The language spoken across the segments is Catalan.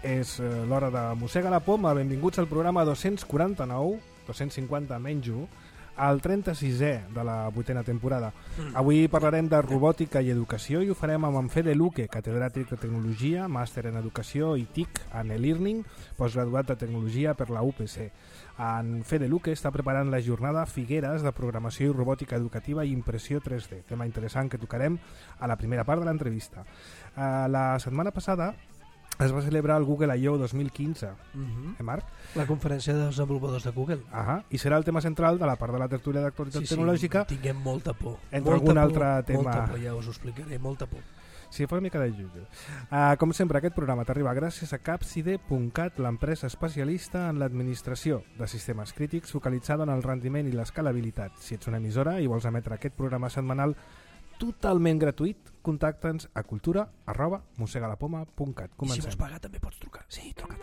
És l'hora de Mossega la Poma. Benvinguts al programa 249, 250 menys 1, al 36è de la 8a temporada. Avui parlarem de robòtica i educació i ho farem amb en Fede Luque, catedràtic de Tecnologia, màster en Educació i TIC en e-learning, postgraduat de Tecnologia per la UPC. En Fede Luque està preparant la jornada Figueres de Programació i Robòtica Educativa i Impressió 3D, tema interessant que tocarem a la primera part de l'entrevista. La setmana passada es va celebrar el Google I.O. 2015, Marc? La conferència de desenvolupadors de Google. I serà el tema central de la part de la tertúlia d'actualitat tecnològica. Tinguem molta por. Entre algun altre tema. Molta por, ja us ho explicaré, molta por. Sí, fa una mica de jutge. Com sempre, aquest programa t'arriba gràcies a Capside.cat, l'empresa especialista en l'administració de sistemes crítics focalitzada en el rendiment i l'escalabilitat. Si ets una emissora i vols emetre aquest programa setmanal totalment gratuït, contacta'ns a cultura@mossegalapoma.cat. I si vols pagar també pots trucar. Sí, truca.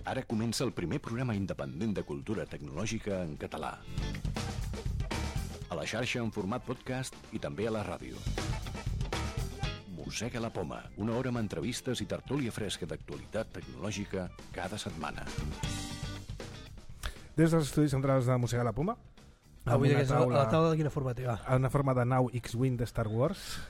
Ara comença el primer programa independent de cultura tecnològica en català. A la xarxa en format podcast i també a la ràdio. Mossega la Poma, una hora amb entrevistes i tertúlia fresca d'actualitat tecnològica cada setmana. Des dels estudis centrals de Mossega la Poma, avui a la taula de quina forma té? En una forma de nau X-Wing de Star Wars.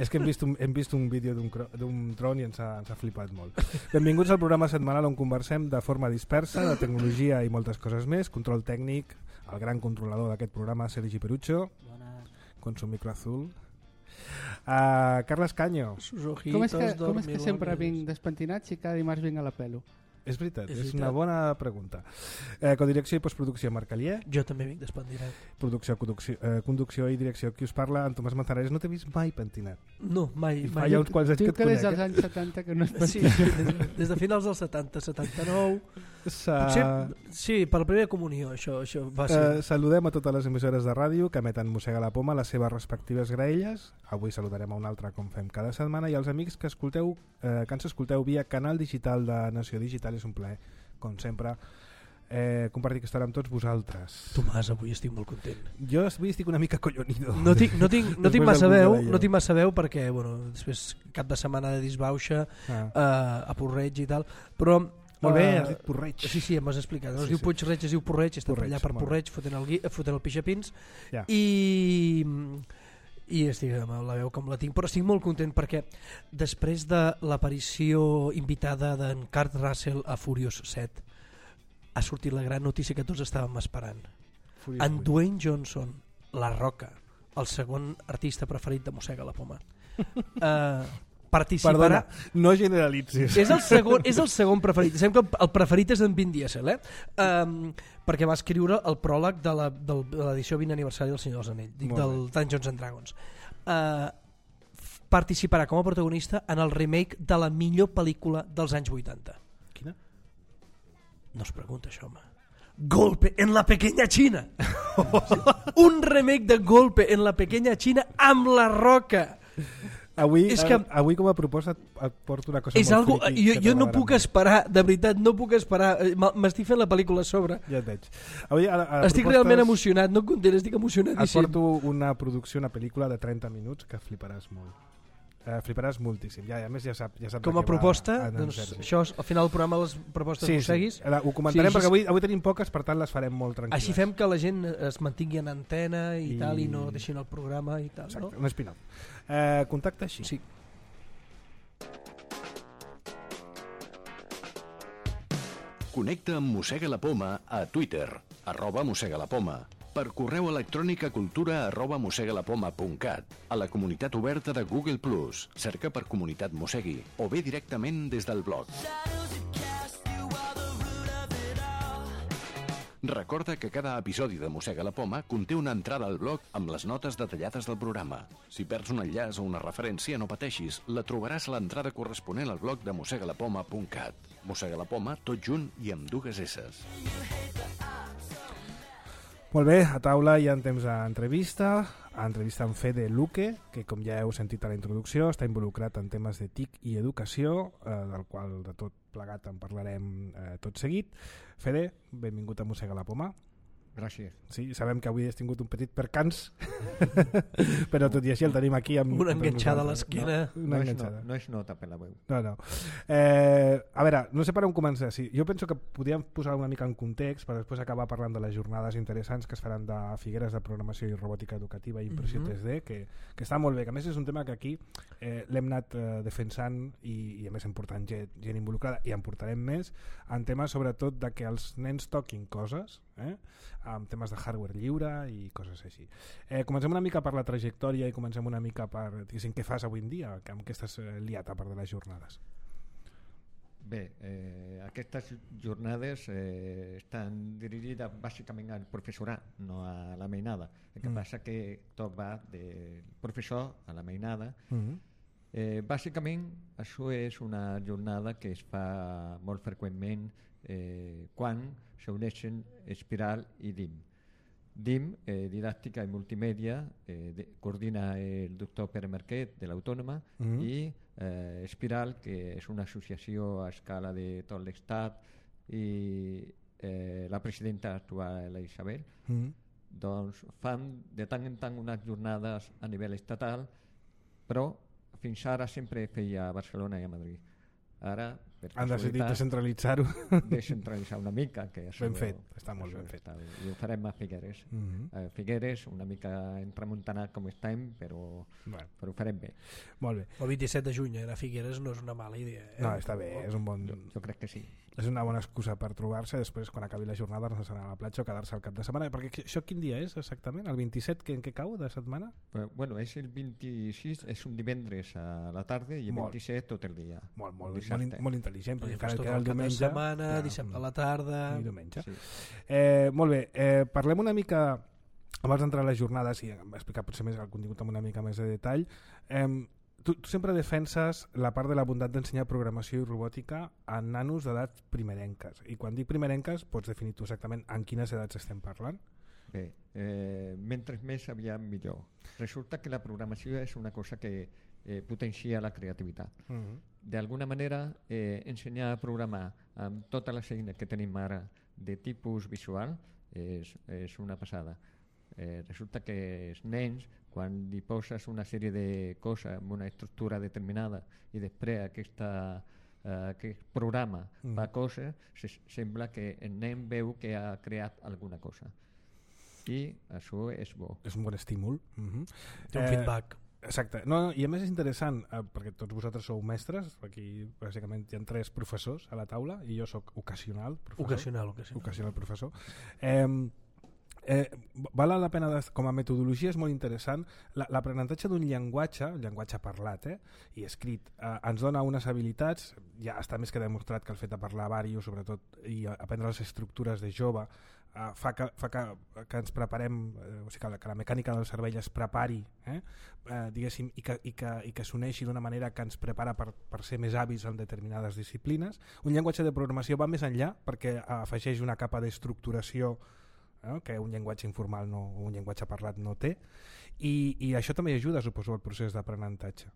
És que hem vist un vídeo d'un tron i ens ha flipat molt. Benvinguts al programa setmanal on conversem de forma dispersa de tecnologia i moltes coses més. Control tècnic, el gran controlador d'aquest programa, Sergi Perucho. Con su micro azul. Carles Caño. Com és que sempre vinc despentinat si cada dimarts vinc a la pelo? És veritat, és una bona pregunta. Codirecció i postproducció, Marc Alier. Jo també vinc despentinat. Producció, conducció i direcció, qui us parla, en Tomàs Manzanares. No t'he vist mai pentinat. No, mai. Fa ja uns quants anys que et conec. Des dels anys 70 que no es pentinat. Sí, des de finals dels 70, 79. Potser, sí, per la primera comunió, això va ser. Saludem a totes les emissores de ràdio que emeten Mossega la Poma, les seves respectives graelles. Avui saludarem a una altra, com fem cada setmana, i als amics que ens escolteu via canal digital de Nació Digital. És un plaer, com sempre, compartir aquesta hora amb tots vosaltres. Tomàs, avui estic molt content. Jo avui estic una mica collonido. No tinc massa veu perquè, bueno, després cap de setmana de disbauxa a Porreig i tal, però molt bé, has dit Porreig. Sí, em has explicat. No es diu Puig-reig, es diu Porreig, està allà per Porreig, fotent el pixapins. I estic amb la veu com la tinc, però estic molt content perquè després de l'aparició invitada d'en Kurt Russell a Furious 7 ha sortit la gran notícia que tots estàvem esperant. En Dwayne Johnson, La Roca, el segon artista preferit de Mossega la Poma, participarà. Perdona, no generalitzis. És el segon preferit. Sembla que el preferit és d'en Vin Diesel, perquè va escriure el pròleg de l'edició 20 aniversari del Senyor dels Anells, del Dungeons and Dragons. Participarà com a protagonista en el remake de la millor pel·lícula dels anys 80. Quina? No es pregunta això, home. Golpe en la pequeña China. Un remake de Golpe en la pequeña China amb La Roca. Avui com a proposta et porto una cosa molt friqui. Jo no puc esperar, de veritat, no puc esperar. M'estic fent la pel·lícula a sobre. Ja et veig. Estic realment emocionat, no content, estic emocionadíssim. Et porto una producció, una pel·lícula de 30 minuts que fliparàs molt. Fliparàs moltíssim. A més ja saps com a proposta, doncs això al final del programa les propostes mosseguis. Sí. Ho comentarem perquè avui tenim poques, per tant les farem molt tranquil·les. Així fem que la gent es mantingui en antena i tal, i no deixin el programa i tal. Exacte, un spin-off. Contacta així. Sí. Connecta amb Mossega la Poma a Twitter, @mossegalapoma. Per correu electrònic a cultura@mossegalapoma.cat, a la comunitat oberta de Google+, cerca per Comunitat Mossegui, o bé directament des del blog. Recorda que cada episodi de Mossega la Poma conté una entrada al blog amb les notes detallades del programa. Si perds un enllaç o una referència, no pateixis, la trobaràs a l'entrada corresponent al blog de mossegalapoma.cat. Mossega la Poma, tot junt i amb dues esses. Molt bé, a taula hi ha temps d'entrevista amb Fede Luque, que com ja heu sentit a la introducció està involucrat en temes de TIC i educació, del qual de tot plegat en parlarem tot seguit. Fede, benvingut a Mossega la Poma. Gràcies. Sí, sabem que avui has tingut un petit percans, però tot i així el tenim aquí amb una enganxada a l'esquena. No es nota per la veu. No. A veure, no sé per on començar. Sí, jo penso que podríem posar una mica en context per després acabar parlant de les jornades interessants que es faran de Figueres de Programació i Robòtica Educativa i Impressió 3D, que està molt bé, que a més és un tema que aquí l'hem anat defensant i a més hem portat gent involucrada i en portarem més en temes sobretot de que els nens toquin coses, amb temes de hardware lliure i coses així. Comencem una mica per la trajectòria i comencem una mica per què fas avui en dia, amb què estàs liat a part de les jornades. Bé, aquestes jornades estan dirigides bàsicament al professorat, no a la mainada. El que passa que tot va del professor a la mainada. Bàsicament això és una jornada que es fa molt freqüentment quan s'uneixen Espiral i DIM. DIM, Didàctica i Multimèdia, coordina el doctor Pere Marquet de l'Autònoma i Espiral, que és una associació a escala de tot l'Estat i la presidenta actual, la Isabel, doncs fan de tant en tant unes jornades a nivell estatal, però fins ara sempre feia a Barcelona i a Madrid. Ara, han decidit descentralitzar-ho. Descentralitzar una mica. Que ben fet, està molt ben fet. I ho farem a Figueres. Figueres, una mica entremuntanat com estem, però ho farem bé. Molt bé. El 27 de juny a Figueres no és una mala idea. No, està bé, és un bon... Jo crec que sí. És una bona excusa per trobar-se després quan acabi la jornada anar a la platja o quedar-se al cap de setmana, perquè això quin dia és exactament? El 27 en què cau de setmana? Bueno, és el 26, és un divendres a la tarda i el 27 tot el dia. Molt intel·ligent, perquè encara queda el diumenge. Setmana, dissabte a la tarda... I diumenge. Sí. Molt bé, parlem una mica, abans d'entrar a les jornades i explicar potser més el contingut amb una mica més de detall. Tu sempre defenses la part de la bondat d'ensenyar programació i robòtica a nanos d'edats primerenques. I quan dic primerenques, pots definir tu exactament en quines edats estem parlant? Bé, mentre més aviat millor. Resulta que la programació és una cosa que potencia la creativitat. D'alguna manera, ensenyar a programar amb totes les eines que tenim ara de tipus visual és una passada. Resulta que els nens, quan li poses una sèrie de coses amb una estructura determinada i després aquest programa fa coses, sembla que el nen veu que ha creat alguna cosa. I això és bo. És un bon estímul. Té un feedback. Exacte. No, i a més és interessant, perquè tots vosaltres sou mestres, aquí bàsicament hi ha 3 professors a la taula i jo sóc ocasional professor. Ocasional professor. Val la pena, com a metodologia és molt interessant, l'aprenentatge d'un llenguatge, un llenguatge parlat i escrit, ens dona unes habilitats, ja està més que demostrat que el fet de parlar vario sobretot i aprendre les estructures de jove fa que ens preparem, o sigui, que la mecànica del cervell es prepari, diguéssim, i que s'uneixi d'una manera que ens prepara per ser més hàbils en determinades disciplines. Un llenguatge de programació va més enllà perquè afegeix una capa d'estructuració que un llenguatge informal o un llenguatge parlat no té, i això també ajuda, suposo, al procés d'aprenentatge.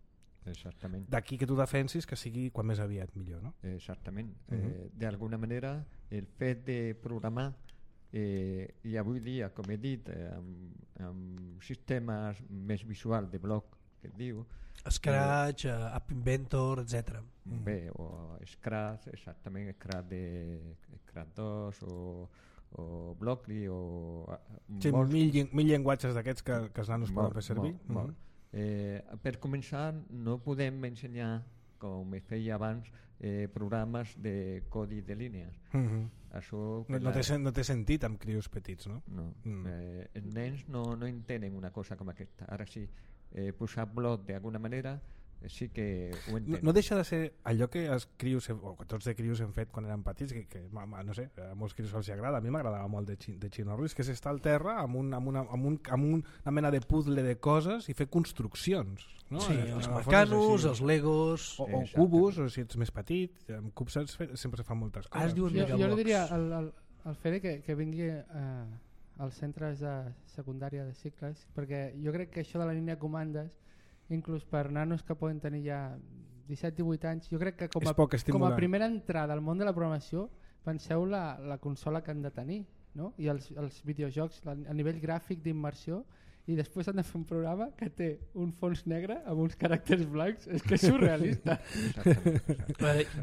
Exactament. D'aquí que tu defensis que sigui quan més aviat millor, no? Exactament. D'alguna manera, el fet de programar i avui dia, com he dit, amb sistemes més visuals de bloc, que et diu... Scratch, App Inventor, etc. Bé, o Scratch, exactament, Scratch 2 o Blockly o... Sí, mil llenguatges d'aquests que els nanos poden fer servir. Per començar, no podem ensenyar, com es feia abans, programes de codi de línies. Això, no té sentit amb crios petits, no? No. Els nens no entenen una cosa com aquesta. Ara sí, posar bloc d'alguna manera sí que ho entenc. No deixa de ser allò que els crios, o que tots de crios hem fet quan érem petits, que no sé, a molts crios els agrada, a mi m'agradava molt de Chinorris, que és estar al terra amb una mena de puzzle de coses i fer construccions, no? Sí, els mecanos, els legos o cubos, o si ets més petit, amb cubs sempre se fan moltes coses. Jo li diria al Fede que vingui als centres de secundària de cicles, perquè jo crec que això de la línia de comandes, inclús per nanos que poden tenir ja 17-18 anys, jo crec que com a primera entrada al món de la programació, penseu la consola que han de tenir, no? I els videojocs a nivell gràfic d'immersió, i després han de fer un programa que té un fons negre amb uns caràcters blancs. És que és surrealista.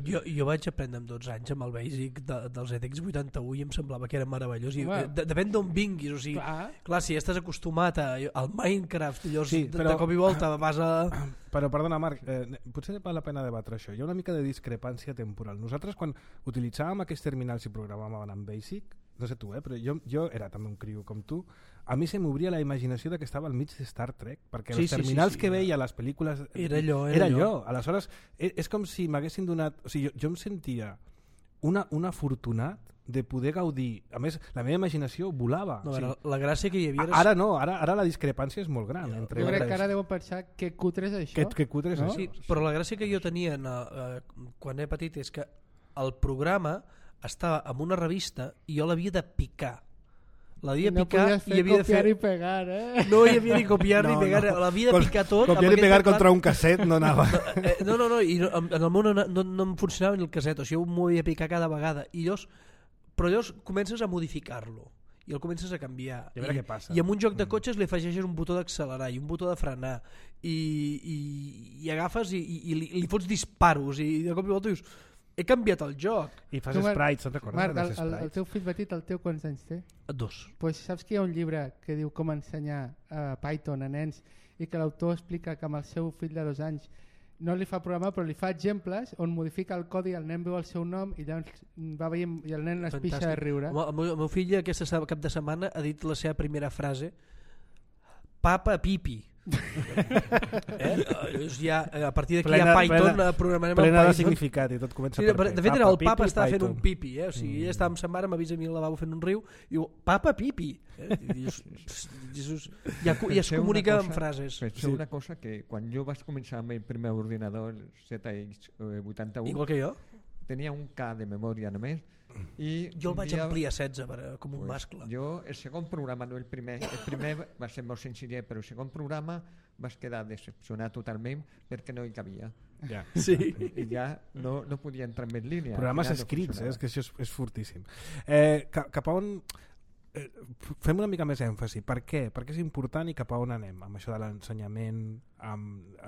Jo vaig aprendre amb 12 anys amb el Basic dels EDX 81 i em semblava que era meravellós. Depèn d'on vinguis, o sigui, clar, si estàs acostumat al Minecraft, llavors de cop i volta vas a... Però perdona, Marc, potser val la pena debatre això. Hi ha una mica de discrepància temporal. Nosaltres quan utilitzàvem aquests terminals i programàvem en Basic, no sé tu, però jo era també un criu com tu, a mi se m'obria la imaginació de que estava al mig de Star Trek, perquè els terminals que veia a les pel·lícules era allò. Aleshores, és com si m'haguessin donat... O sigui, jo em sentia un afortunat de poder gaudir. A més, la meva imaginació volava. No, la gràcia que hi havia... Ara no, ara la discrepància és molt gran. Jo crec que ara deuen pensar que cutre és això. Que cutre és això. Sí, però la gràcia que jo tenia quan era petit és que el programa estava en una revista i jo l'havia de picar. L'havia de picar i havia de fer... copiar i pegar, No hi havia ni copiar ni pegar, l'havia de picar tot. Copiar i pegar contra un casset no anava. No, i en el meu no em funcionava ni el casset, o sigui, jo m'ho havia de picar cada vegada. Però llavors comences a modificar-lo i el comences a canviar. I a veure què passa. I amb un joc de cotxes li afegeixes un botó d'accelerar i un botó de frenar i agafes i li fots disparos i de cop i volta dius he canviat el joc. I fas sprites, se'n recordes? Marc, el teu fill petit, el teu quants anys té? 2. Pues saps que hi ha un llibre que diu com ensenyar Python a nens i que l'autor explica que amb el seu fill de 2 anys no li fa programar però li fa exemples on modifica el codi, el nen veu el seu nom i llavors va veient i el nen es pixa de riure. El meu fill aquest cap de setmana ha dit la seva primera frase: Papa Pipi. Ja, a partir d'aquí hi ha Python, programarem plena el Python. de significat i tot comença per de fet era el papa estava fent un pipi, o sigui, ella estava amb sa mare, m'avisa a mi al lavabo fent un riu i diu, papa pipi, ja es comunica amb frases. Penseu una cosa, que quan jo vaig començar amb el primer ordinador, el ZX81, igual que jo, tenia un K de memòria només. Jo el vaig ampliar a 16 com un mascle. Jo el segon programa, no el primer va ser molt senzillet, però el segon programa vaig quedar decepcionat totalment perquè no hi cabia. Sí. I ja no podia entrar en línia. Programes escrits, és que això és fortíssim. Cap a on... fem una mica més èmfasi. Per què? Per què és important i cap a on anem amb això de l'ensenyament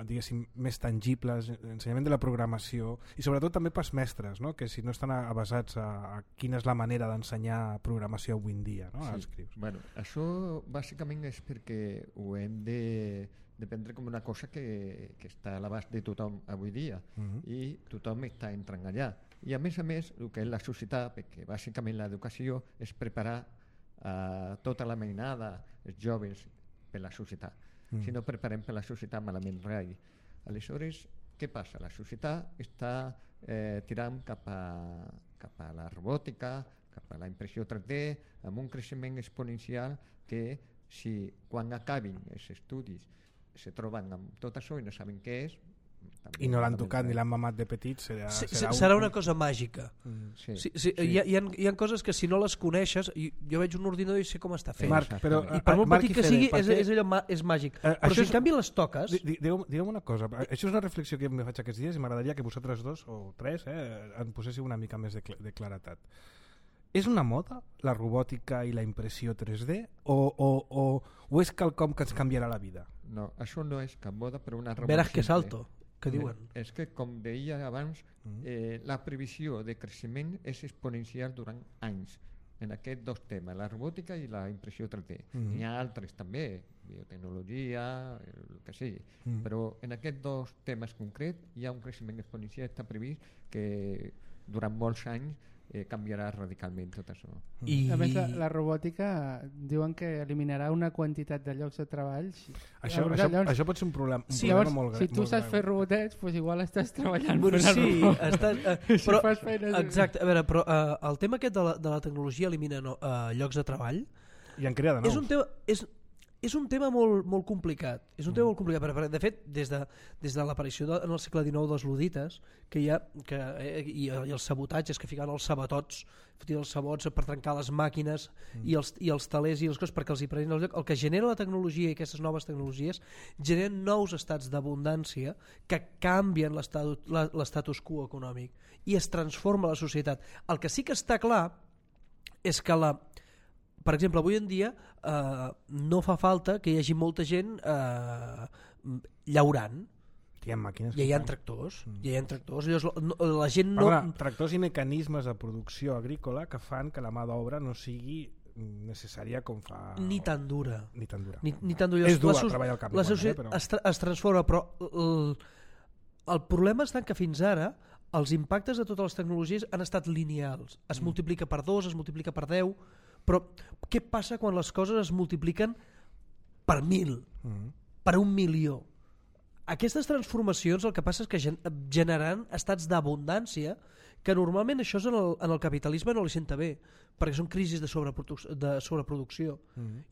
diguéssim més tangibles, ensenyament de la programació i sobretot també pels mestres, no? Que si no estan avasats a quina és la manera d'ensenyar programació avui en dia, no? Als crius. Bueno, això bàsicament és perquè ho hem de prendre com una cosa que està a l'abast de tothom avui dia i tothom està entrant allà. I a més, el que és la societat, perquè bàsicament l'educació és preparar tota la mainada, els joves, per la societat. Si no preparem per la societat, malament rai. Aleshores, què passa? La societat està tirant cap a la robòtica, cap a la impressió 3D, amb un creixement exponencial que si quan acabin els estudis se troben amb tot això i no saben què és, i no l'han tocat ni l'han mamat de petit, serà una cosa màgica. Hi ha coses que si no les coneixes, jo veig un ordinador i sé com està fet, Marc, però, i per molt petit que sigui és màgic, però si en canvi les toques... Digue'm una cosa, això és una reflexió que em faig aquests dies i m'agradaria que vosaltres dos o tres en poséssiu una mica més de claretat. És una moda la robòtica i la impressió 3D o és quelcom que ens canviarà la vida? No, això no és cap moda, però una revolució. Veràs que salto, que diuen. És que, com deia abans, la previsió de creixement és exponencial durant anys en aquests dos temes, la robòtica i la impressió 3D. N'hi ha altres també, biotecnologia, el que sigui, però en aquests dos temes concrets hi ha un creixement exponencial, està previst que durant molts anys canviarà radicalment tot això. A més, la robòtica diuen que eliminarà una quantitat de llocs de treball. Això pot ser un problema, llavors, molt gran. Si tu saps fer robotets, doncs igual estàs treballant però, exacte, a veure, però el tema aquest de la tecnologia elimina llocs de treball i en crea de nous. És un tema molt complicat. És un tema molt complicat. De fet, des de l'aparició en el segle XIX dels ludites, que hi ha i els sabotatges que ficaven els sabatots, els sabots per trencar les màquines i els talers i les coses perquè els hi prenien el lloc, el que genera la tecnologia i aquestes noves tecnologies generen nous estats d'abundància que canvien l'estatus quo econòmic i es transforma la societat. El que sí que està clar és que per exemple, avui en dia no fa falta que hi hagi molta gent llaurant. Hi ha màquines. Ja hi ha tractors. Llavors, la gent no... Tractors i mecanismes de producció agrícola que fan que la mà d'obra no sigui necessària com fa... Ni tan dura. Ni tan dura. Ni tan dura. És dur treballar al camp. La societat però... es transforma, però el problema és que fins ara els impactes de totes les tecnologies han estat lineals. Es multiplica per 2, es multiplica per 10, però què passa quan les coses es multipliquen per 1.000, per 1.000.000? Aquestes transformacions el que passa és que generaran estats d'abundància que normalment això en el capitalisme no li senta bé, perquè són crisis de sobreproducció.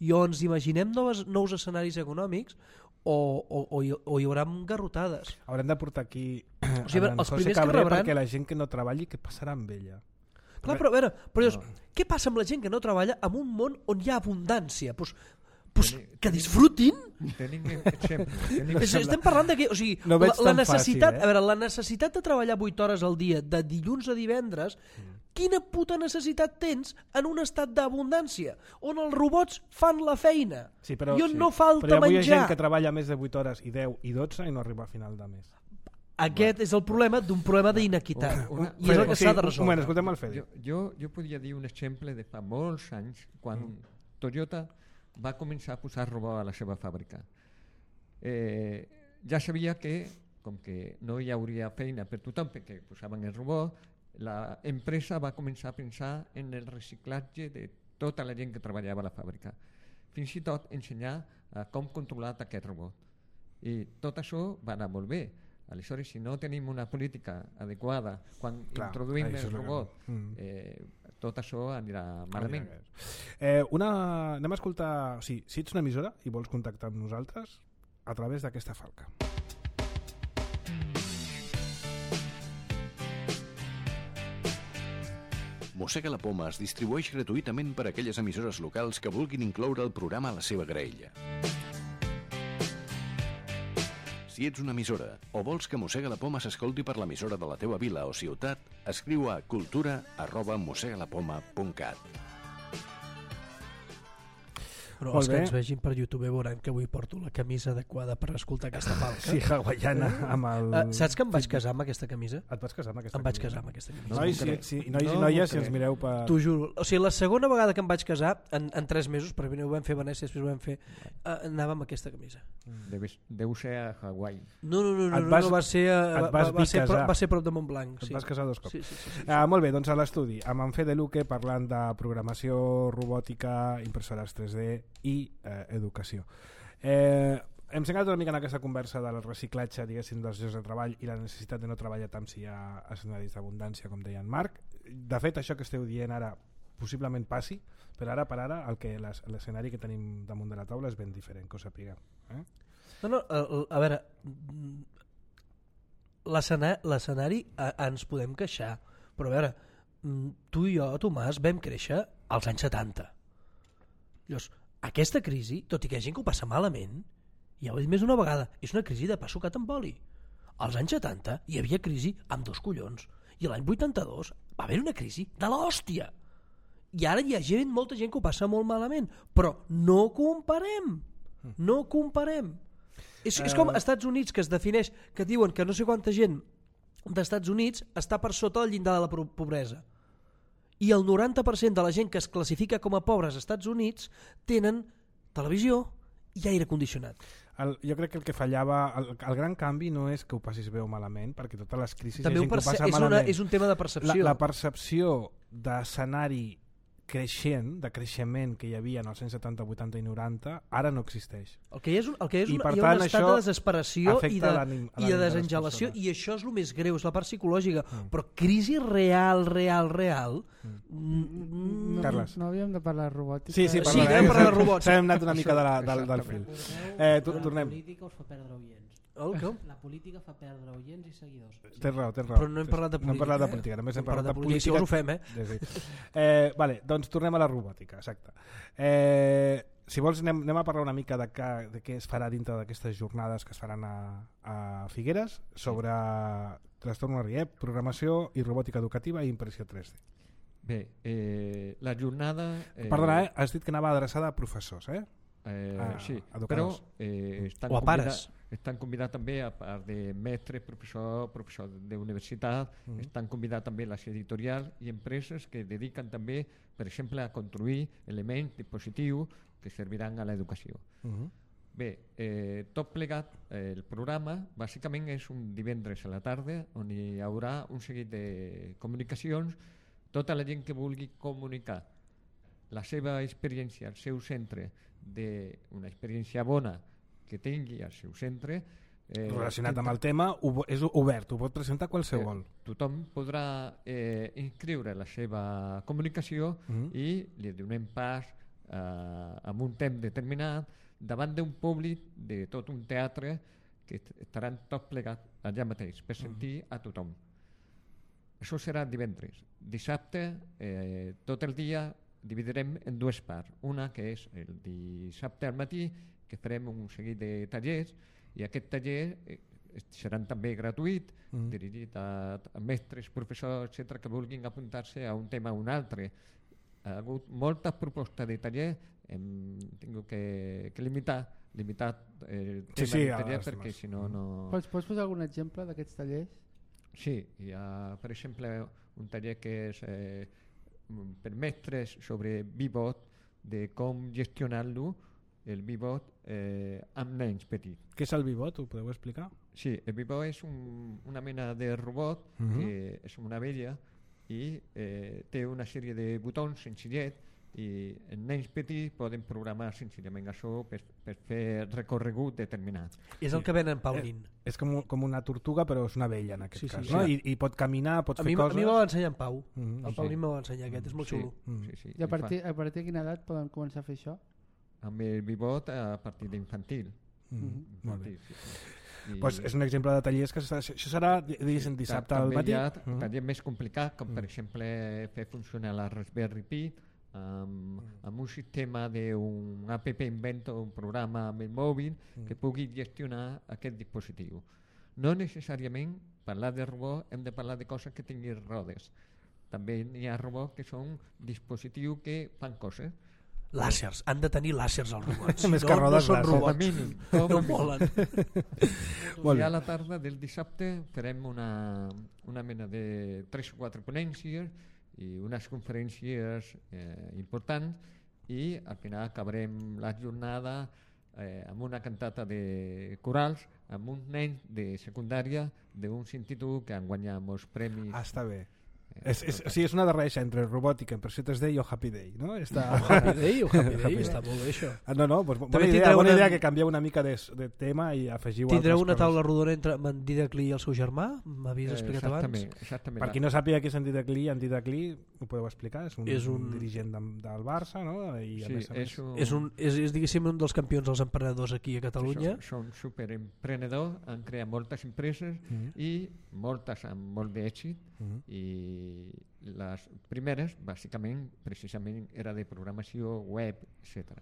I o ens imaginem nous escenaris econòmics o hi haurà garrotades. Haurem de portar aquí els primers que rebran... perquè la gent que no treballi, què passarà amb ella? Clar, però a veure, què passa amb la gent que no treballa en un món on hi ha abundància? Que disfrutin. Estem parlant de que, o sigui, no la necessitat, a veure, la necessitat de treballar 8 hores al dia de dilluns a divendres, quina puta necessitat tens en un estat d'abundància on els robots fan la feina i on no falta menjar? Però hi ha gent que treballa més de 8 hores i 10 i 12 i no arriba a final de mes. Aquest és el problema d'un problema d'iniquitat i és el que s'ha de resoldre. Un moment, escoltem el Fede. Jo podria dir un exemple de fa molts anys quan Toyota va començar a posar robot a la seva fàbrica. Ja sabia que, com que no hi hauria feina per tothom perquè posaven el robot, l'empresa va començar a pensar en el reciclatge de tota la gent que treballava a la fàbrica. Fins i tot ensenyar com controlar aquest robot. I tot això va anar molt bé. Aleshores, si no tenim una política adequada quan introduïm el robot, tot això anirà malament. Anem a escoltar... Si ets una emissora i vols contactar amb nosaltres, a través d'aquesta falca. Mossega la Poma es distribueix gratuïtament per a aquelles emissores locals que vulguin incloure el programa a la seva graella. Si ets una emissora o vols que Mossega la Poma s'escolti per l'emissora de la teua vila o ciutat, escriu a cultura@mossegalapoma.cat. Però els que ens vegin per YouTube veuran que avui porto la camisa adequada per escoltar aquesta falca. Sí, hawaiana amb el... Saps que em vaig casar amb aquesta camisa? Et vas casar amb aquesta camisa? Em vaig casar amb aquesta camisa. Nois i noies, si ens mireu per... T'ho juro. O sigui, la segona vegada que em vaig casar, en 3 mesos, perquè ho vam fer a Venècia, després ho vam fer, anava amb aquesta camisa. Deu ser a Hawaii. No, va ser prop de Montblanc. Et vas casar 2 cops. Sí. Molt bé, doncs a l'estudi, amb en Fede Luque parlant de programació, robòtica, impressores 3D i educació. Hem centrat una mica en aquesta conversa del reciclatge, diguéssim, dels llocs de treball i la necessitat de no treballar tant si hi ha escenaris d'abundància, com deia en Marc. De fet, això que esteu dient ara possiblement passi, però ara per ara l'escenari que tenim damunt de la taula és ben diferent, que ho sapiguem. No, a veure, l'escenari ens podem queixar, però a veure, tu i jo, Tomàs, vam créixer als anys 70. Llavors, aquesta crisi, tot i que hi ha gent que ho passa malament, ja ho he dit més d'una vegada, és una crisi de pa sucat amb oli. Als anys 70 hi havia crisi amb 2 collons i l'any 82 va haver una crisi de l'hòstia. I ara hi ha molta gent que ho passa molt malament, però no comparem. És com als Estats Units, que es defineix, que diuen que no sé quanta gent dels Estats Units està per sota del llindar de la pobresa. I el 90% de la gent que es classifica com a pobres als Estats Units tenen televisió i aire condicionat. Jo crec que el que fallava, el gran canvi no és que ho passis bé o malament, perquè totes les crisis també hi ha gent que ho passa malament. És un tema de percepció. La percepció d'escenari creixent, de creixement que hi havia en els anys 70, 80 i 90, ara no existeix. El que hi ha és hi ha un estat de desesperació i de desangelació, i això és el més greu, és la part psicològica. Però crisi real... Carles. No havíem de parlar de robòtica? Sí, parlarem de robots. S'hem anat una mica del fil. Tornem. La política us fa perdre oients. La política fa perdre oients i seguidors. Tens raó. Però no hem parlat de política. No hem parlat de política, només hem parlat de política. Si ho fem, Vale, doncs tornem a la robòtica, exacte. Si vols anem a parlar una mica de què es farà dintre d'aquestes jornades que es faran a Figueres sobre trastorn RIEP, programació i robòtica educativa i impressió 3D. Bé, la jornada... Perdona, has dit que anava adreçada a professors, sí, però educadors. O a pares. Estan convidats també, a part de mestres, professors d'universitat, estan convidats també les editorials i empreses que dediquen també, per exemple, a construir elements, dispositius que serviran a l'educació. Bé, tot plegat, el programa bàsicament és un divendres a la tarda on hi haurà un seguit de comunicacions. Tota la gent que vulgui comunicar la seva experiència al seu centre, d'una experiència bona que tingui al seu centre, relacionat amb el tema, és obert, ho pot presentar qualsevol. Tothom podrà inscriure la seva comunicació i li donem pas amb un temps determinat davant d'un públic de tot un teatre que estaran tots plegats allà mateix per sentir a tothom. Això serà divendres. Dissabte, tot el dia dividirem en dues parts. Una que és el dissabte al matí, que farem un seguit de tallers, i aquest taller seran també gratuït, dirigit a mestres, professors, etc., que vulguin apuntar-se a un tema o un altre. Ha hagut moltes propostes de taller, hem tingut que limitar el tema de taller, perquè si no... Pots posar algun exemple d'aquests tallers? Sí, hi ha, per exemple, un taller que és per mestres sobre Vivot, de com gestionar-lo, el Vivot amb nens petits. Què és el Vivot? Ho podeu explicar? Sí, el Vivot és una mena de robot que és una vella i té una sèrie de botons senzillet i els nens petits poden programar senzillament això per fer recorregut determinat. És el que ven en Paulín. És com una tortuga, però és una vella en aquest cas. No? I pot caminar, pot fer coses... A mi me va ensenyar en Pau. El Paulín me va ensenyar aquest, és molt xulo. I a partir de quina edat poden començar a fer això? Amb el Vivot a partir d'infantil. Molt bé. Pues és un exemple de tallers que això serà dissabte al matí. També hi ha tallers més complicats, com per exemple fer funcionar la Raspberry Pi amb un sistema d'un app inventor, un programa amb el mòbil que pugui gestionar aquest dispositiu. No necessàriament parlar de robot hem de parlar de coses que tinguin rodes. També hi ha robots que són dispositius que fan coses. Làsers, han de tenir làsers els robots. Més que rodes, no són robots. No volen. I a la tarda del dissabte farem una mena de 3 o 4 ponències i unes conferències importants i al final acabarem la jornada amb una cantata de corals amb uns nens de secundària d'un institut que han guanyat molts premis. Està bé. És una barreja entre robòtica, impressió 3D i Happy Day, no? Happy Day, està molt bé això. Doncs bona idea que canvieu una mica de tema i afegiu altres coses. Tindreu una taula rodona entre en Didaclí i el seu germà? M'havies explicat abans? Exactament. Per qui no sàpiga què és en Didaclí, ho podeu explicar? És un dirigent del Barça, no? I és diguéssim un dels campions dels emprenedors aquí a Catalunya. Són superemprenedors, han creat moltes empreses i moltes amb molt d'èxit i les primeres bàsicament precisament era de programació web, etc.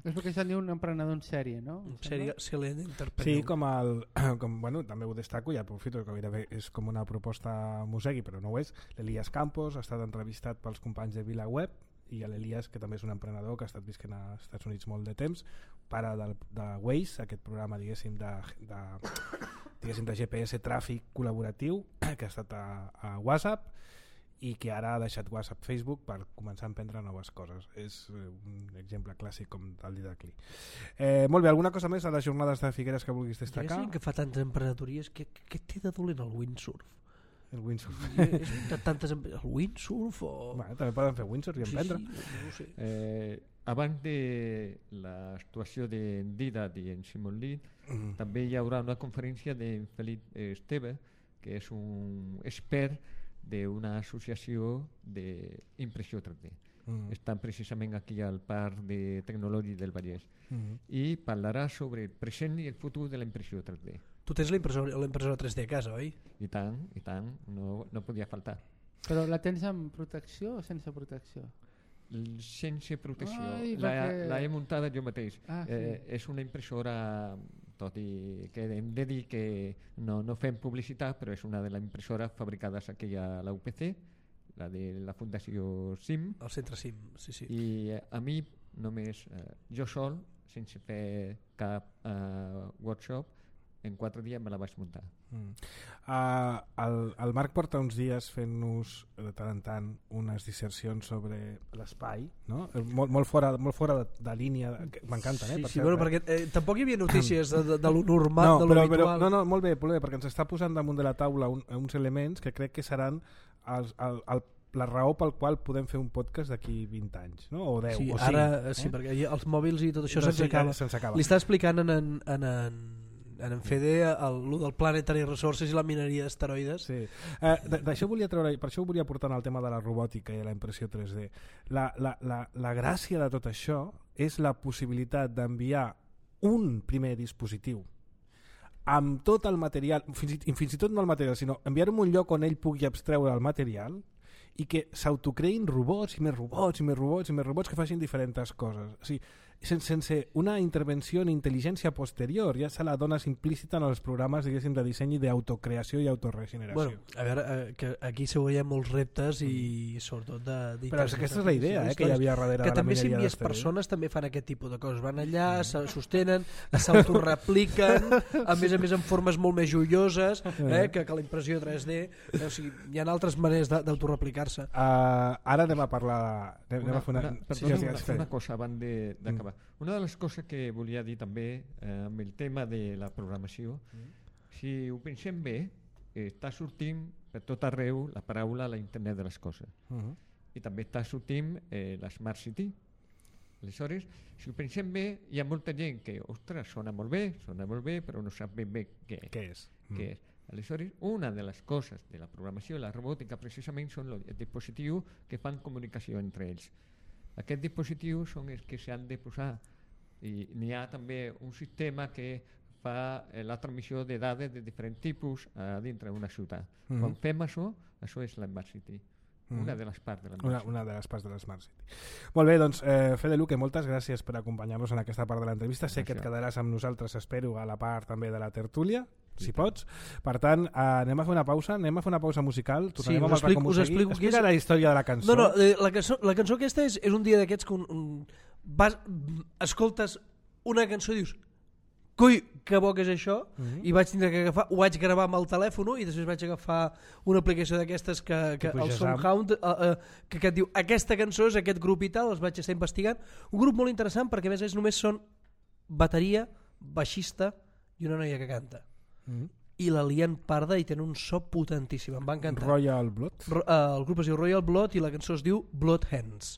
És perquè se'n diu un emprenedor en sèrie, no? Silent entrepreneur. Sí, també ho destaco i aprofito que gairebé és com una proposta musegui, però no ho és. L'Elias Campos ha estat entrevistat pels companys de VilaWeb i l'Elias, que també és un emprenedor que ha estat visquent als Estats Units molt de temps, pare de Waze, aquest programa diguéssim de GPS tràfic col·laboratiu que ha estat a WhatsApp i que ara ha deixat WhatsApp Facebook per començar a emprendre noves coses. És un exemple clàssic com el Didaclí. Molt bé, alguna cosa més a les jornades de Figueres que vulguis destacar? Que fa tantes emprenedories, què té de dolent el windsurf? El windsurf. El windsurf o... També poden fer windsurf i emprendre. No ho sé. Abans de l'actuació d'en Didac i en Simon Lee, també hi haurà una conferència d'en Felip Esteve, que és un expert d'una associació d'impressió 3D. Estan precisament aquí al Parc de Tecnològic del Vallès i parlarà sobre el present i el futur de la impressió 3D. Tu tens l'impressora 3D a casa, oi? I tant, no podia faltar. Però la tens amb protecció o sense protecció? Sense protecció. La he muntada jo mateix. És una impressora, tot i que hem de dir que no fem publicitat, però és una de les impressores fabricades aquí a la UPC, la de la Fundació CIM. El centre CIM, sí. I a mi només, jo sol, sense fer cap workshop, en 4 dies me la vaig muntar. El Marc porta uns dies fent-nos de tant en tant unes dissercions sobre l'espai, no? Molt fora de línia, m'encanten, Sí, per sí, cert, bueno, perquè tampoc hi havia notícies de lo normal, de lo habitual. No, molt bé, perquè ens està posant damunt de la taula uns elements que crec que seran la raó pel qual podem fer un podcast d'aquí 20 anys, no? O 10, sí, o 5. Ara, sí, perquè els mòbils i tot això se'ns acaba. Li està explicant en Fede el del Planetary Resources i la mineria d'asteroides. Sí. D'això volia treure, per això ho volia portar al tema de la robòtica i la impressió 3D. La gràcia de tot això és la possibilitat d'enviar un primer dispositiu amb tot el material, fins i tot no el material, sinó enviar-ho a un lloc on ell pugui abstreure el material i que s'autocreïn robots i més robots i més robots i més robots que facin diferents coses. O sigui, sense una intervenció en intel·ligència posterior, ja se la dones implícita en els programes, diguéssim, de disseny i d'autocreació i autoregeneració. Bueno, a veure, que aquí segurament hi ha molts reptes i sobretot però aquesta és la idea que hi havia darrere de la mineria d'asteroides. Que també si envies persones també fan aquest tipus de coses. Van allà, se sostenen, s'autorepliquen, a més en formes molt més joioses que la impressió 3D. O sigui, hi ha altres maneres d'autoreplicar-se. Ara anem a parlar... Una cosa abans d'acabar. Una de les coses que volia dir també amb el tema de la programació, si ho pensem bé, està sortint per tot arreu la paraula la internet de les coses i també està sortint la Smart City. Aleshores, si ho pensem bé, hi ha molta gent que, ostres, sona molt bé, però no sap ben bé què és. Aleshores, una de les coses de la programació i la robòtica precisament són els dispositius que fan comunicació entre ells. Aquests dispositius són els que s'han de posar i n'hi ha també un sistema que fa la transmissió de dades de diferents tipus dintre d'una ciutat. Quan fem això és la Smart City. Una de les parts de la Smart City. Una de les parts de la Smart City. Molt bé, doncs, Fede Luque, moltes gràcies per acompanyar-nos en aquesta part de l'entrevista. Sé que et quedaràs amb nosaltres, espero, a la part també de la tertúlia, si pots. Per tant, anem a fer una pausa musical. Tornarem amb el Racó Mosegui. Explica la història de la cançó. No, la cançó aquesta és un dia d'aquests que escoltes una cançó i dius coi, que bo que és això, i vaig tindre que agafar, ho vaig gravar amb el telèfon i després vaig agafar una aplicació d'aquestes que el Soundhound que et diu, aquesta cançó és aquest grup i tal, els vaig estar investigant, un grup molt interessant perquè a més només són bateria, baixista i una noia que canta i la lien parda i tenen un so potentíssim, em va encantar. Royal Blood? El grup es diu Royal Blood i la cançó es diu Blood Hands.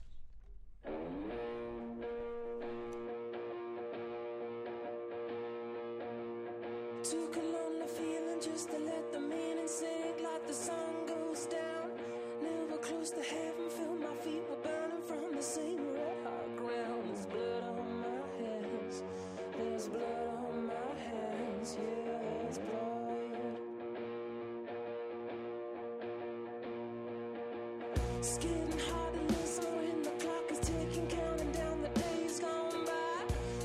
It's getting hard to listen when the clock is ticking, counting down the days gone by,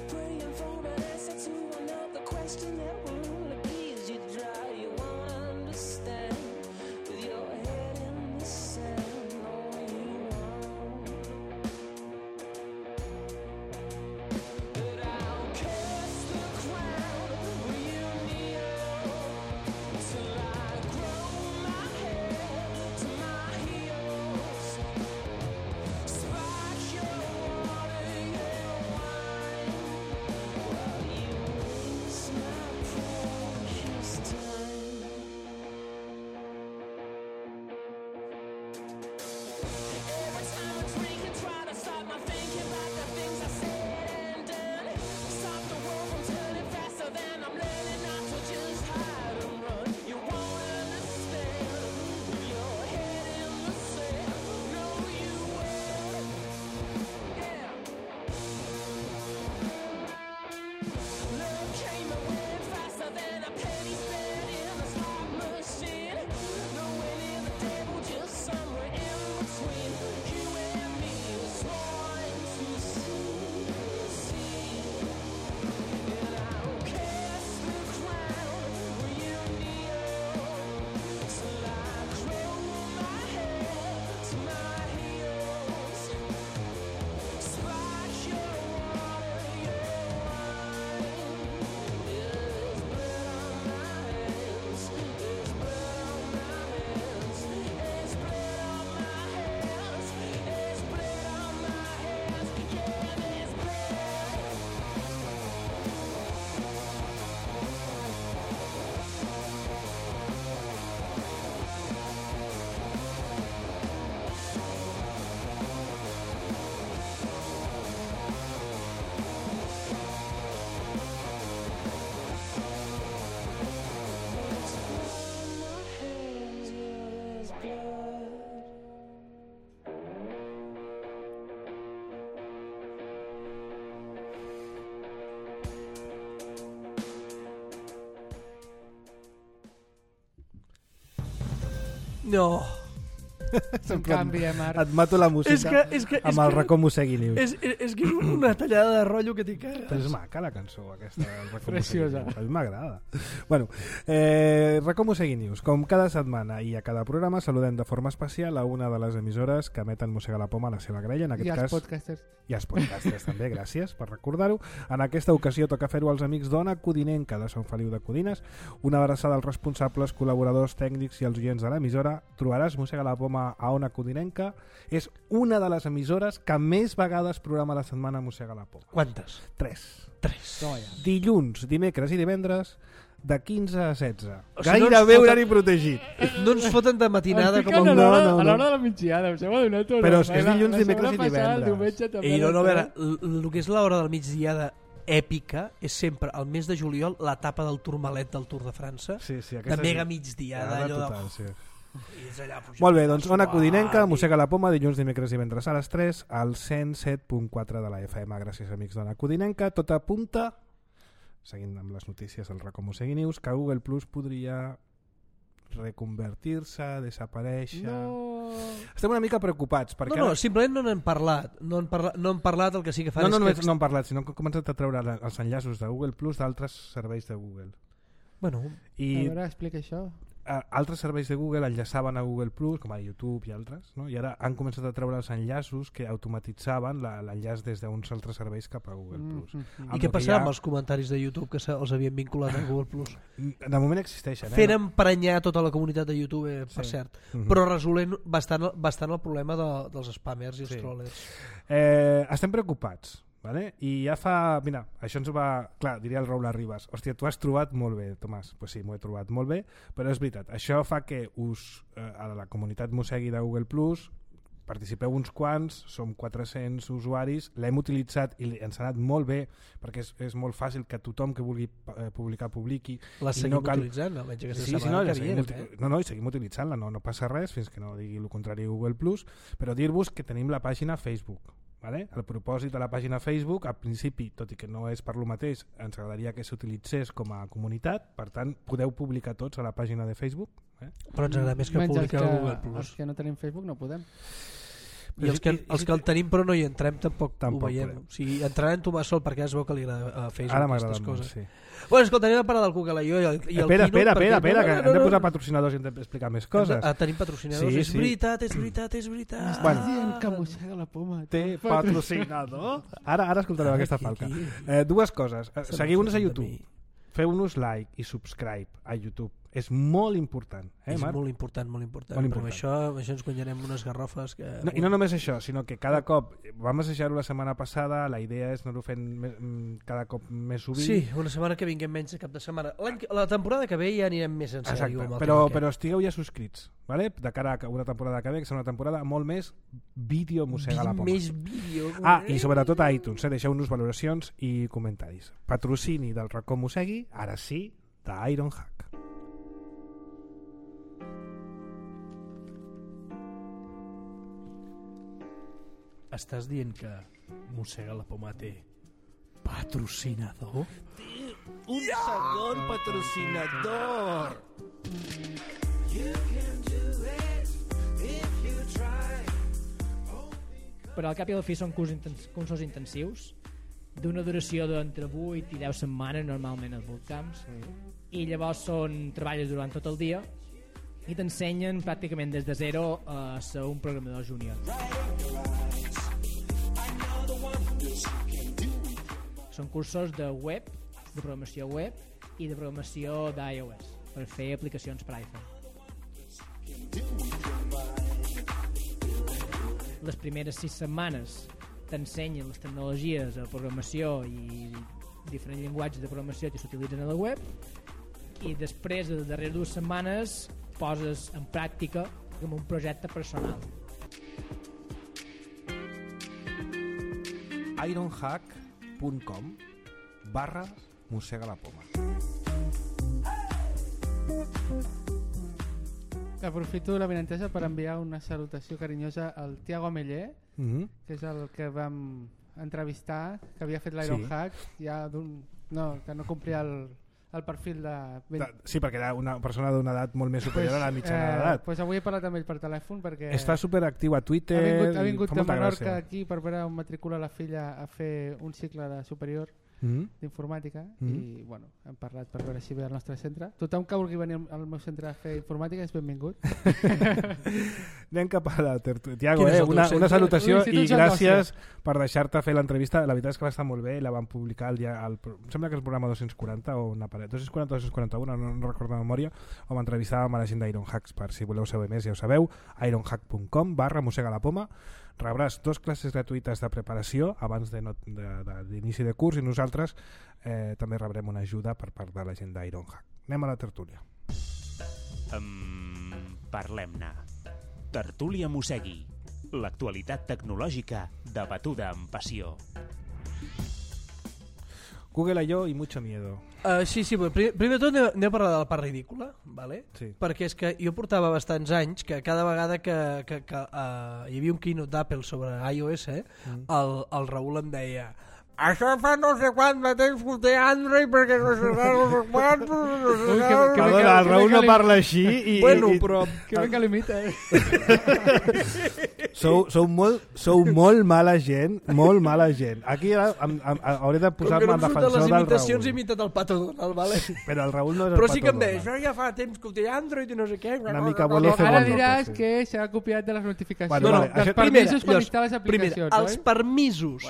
praying for an answer to another question that will only please you dry. You won't understand with your head in the sand. No, you won't. But I'll kiss the ground where you kneel till I grow my head to my heels. No. En canvi, Marc... Et mato la música amb el racó Mossegui News. És que és una tallada de rotllo que t'hi Però cagues. és maca la cançó aquesta del Racó Preciosa. Mossegui News. A mi m'agrada. Bueno, Racó Mossegui News. Com cada setmana i a cada programa saludem de forma especial a una de les emissores que emeten Mossega la Poma a la seva grella. En aquest I els cas, podcasters. i els podcasters també, gràcies per recordar-ho. En aquesta ocasió toca fer-ho als amics d'Ona Codinenca de Sant Feliu de Codines. Una abraçada als responsables, col·laboradors tècnics i als oients de l'emissora. Trobaràs Mossega la Poma a Ona Codinenca. És una de les emissores que més vegades programa a la setmana Mossega la Poma. Quantes? 3. 3. Dilluns, dimecres i divendres de 15 a 16. O sigui, no Gairebé ens horari protegit. No ens foten de matinada Em com fiquen el... no. a l'hora de la migdiada, us heu adonat o no? Però és que és La- dilluns, la dimecres setmana i passada, divendres. El diumenge també. I no, a a veure, les el que és l'hora de la migdiada èpica és sempre al mes de juliol l'etapa del Tourmalet del Tour de França, Sí, sí, de mega migdiada, Ara allò de... total, sí. I és allà pujant Molt bé, doncs Ona suau, Codinenca, i- Mossega la Poma, dilluns, dimecres i divendres a les 3 al 107.4 de la FM. Gràcies, amics d'Ona Codinenca. Tot apunta, seguint amb les notícies del Racó Mossegui News, que Google Plus podria reconvertir-se, desaparèixer... No. Estem una mica preocupats perquè No, simplement no n'hem parlat. No han parlat, el que sí que fan no és només que... no han parlat, sinó que han començat a treure els enllaços de Google Plus d'altres serveis de Google. Bueno, A I veure, explica això. altres serveis de Google enllaçaven a Google Plus, com a YouTube i altres, no? I ara han començat a treure els enllaços que automatitzaven l'enllaç des d'uns altres serveis cap a Google Plus. i què passarà amb els comentaris de YouTube que els havien vinculat a Google Plus? De moment existeixen. Fent emprenyar tota la comunitat de YouTube, per Sí. cert, Mhm. però resolent bastant el problema dels spammers i els Sí. trollers. Estem preocupats, vale? I ja fa... Mira, això ens va... Clar, diria el Raúl Arribas. Hòstia, tu has trobat molt bé, Tomàs. Pues sí, m'ho he trobat molt bé, però és veritat. Això fa que a la comunitat Mossegui de Google Plus participeu uns quants, som 400 usuaris, l'hem utilitzat i ens ha anat molt bé, perquè és molt fàcil que tothom que vulgui publicar publiqui. La I seguim no cal- utilitzant, almenys aquesta Sí, sí, setmana no, que seguim, viene. no, i seguim utilitzant-la, no passa res fins que no digui el contrari Google Plus, però dir-vos que tenim la pàgina Facebook. Vale? El propòsit de la pàgina Facebook, al principi, tot i que no és per lo mateix, ens agradaria que s'utilitzés com a comunitat, per tant, podeu publicar tots a la pàgina de Facebook. Però ens agrada més que Menys publicar a Google Els Plus. que no tenim Facebook no podem. I els que el tenim però no hi entrem tampoc ho Tampoc veiem. podem. O sigui, entrarà en Tomàs Sol perquè es veu que li agrada a Facebook Ara aquestes m'agrada molt, coses. sí. Bueno, escolta, anem a parlar del Google I.O. i el Espera, Keynote, espera, perquè- que hem de no. posar patrocinadors i hem d'explicar més coses. Tenim patrocinadors, Sí, és sí. veritat, és veritat, és veritat. Bueno. Estàs dient que mossega la poma. Té patrocinador. Ara escoltareu aquesta falca. Aquí. Dues coses. Seguiu-nos a de YouTube. mi. Feu-nos like i subscribe a YouTube. És molt important. És Marc? molt important, molt important. Molt Però important. amb això ens guanyarem unes garrofes que... No, I no només això, sinó que cada cop, vam assajar-ho la setmana passada, la idea és anar-ho fent cada cop més sovint. Sí, una setmana que vinguem menys de cap de setmana. La temporada que ve ja anirem més en sèrio. Exacte, amb el però tema aquest. estigueu ja subscrits, vale? De cara a una temporada que ve, que serà una temporada molt més vídeo mossega la poma. Més vídeo. I sobretot a iTunes, deixeu-nos valoracions i comentaris. Patrocini del Racó Mossegui, ara sí, d'Ironhack. Estàs dient que mossega la poma té patrocinador? Un segon patrocinador! Però al cap i a la fi són cursos intensius d'una duració d'entre 8 i 10 setmanes normalment als bootcamps i llavors treballes durant tot el dia i t'ensenyen pràcticament des de zero a ser un programador júnior. Són cursos de web, de programació web i de programació d'iOS per fer aplicacions per iPhone. Les primeres 6 setmanes t'ensenyen les tecnologies de programació i diferents llenguatges de programació que s'utilitzen a la web i després de les darreres 2 setmanes poses en pràctica com un projecte personal. ironhack.com/mossega la poma. Aprofito la benentesa per enviar una salutació carinyosa al Tiago Ameller, que és el que vam entrevistar, que havia fet l'Ironhack, ja que no complia el perfil de... Sí, perquè era una persona d'una edat molt més superior a la mitjana d'edat. Pues avui he parlat amb ell per telèfon perquè... Està superactiu a Twitter. Ha vingut fa de molta Menorca gràcia. aquí per veure on matricula la filla a fer un cicle de superior d'informàtica i bueno, hem parlat per veure si ve al nostre centre. Tothom que vulgui venir al meu centre a fer informàtica és benvingut. Anem cap a la tertúlia. Tiago, Quin és el teu una centre? salutació i L'Institut Joan gràcies per deixar-te fer l'entrevista. La veritat és que va estar molt bé, la van publicar el dia... em sembla que és el programa 240 o una paret, 240 o 241, no recordo de memòria, on entrevistàvem a la gent d'Ironhacks. Per si voleu saber més, ja ho sabeu, ironhack.com/mossega-la-poma. Rebràs 2 classes gratuïtes de preparació abans d'inici de curs i nosaltres també rebrem una ajuda per part de la gent d'Ironhack. Anem a la tertúlia. Parlem-ne. Tertúlia Mossegui. L'actualitat tecnològica debatuda amb passió. Google I.O. i mucho miedo. Sí, primer de tot anem a parlar de la part ridícula, ¿vale? Sí. Perquè és que jo portava bastants anys que cada vegada que hi havia un keynote d'Apple sobre iOS, el Raül em deia això fa no sé quant de temps que té Android perquè no sé quant... Perdona, el Raül no parla així i... Bueno, però... Que bé que limita, Sou molt mala gent, molt mala gent. Aquí hauré de posar-me en defensor del les imitacions he Raül. imitat el Pato Donald, vale? Però el Raül no és el Però sí que em Pato deia, Donald. això ja fa temps que ho té Android i no sé què... Una mica volé fer Ara bon diràs rock, sí. que s'ha copiat de les notificacions. Bueno, vale, dels això- permisos per Llavors, instal·lar les aplicacions, els permisos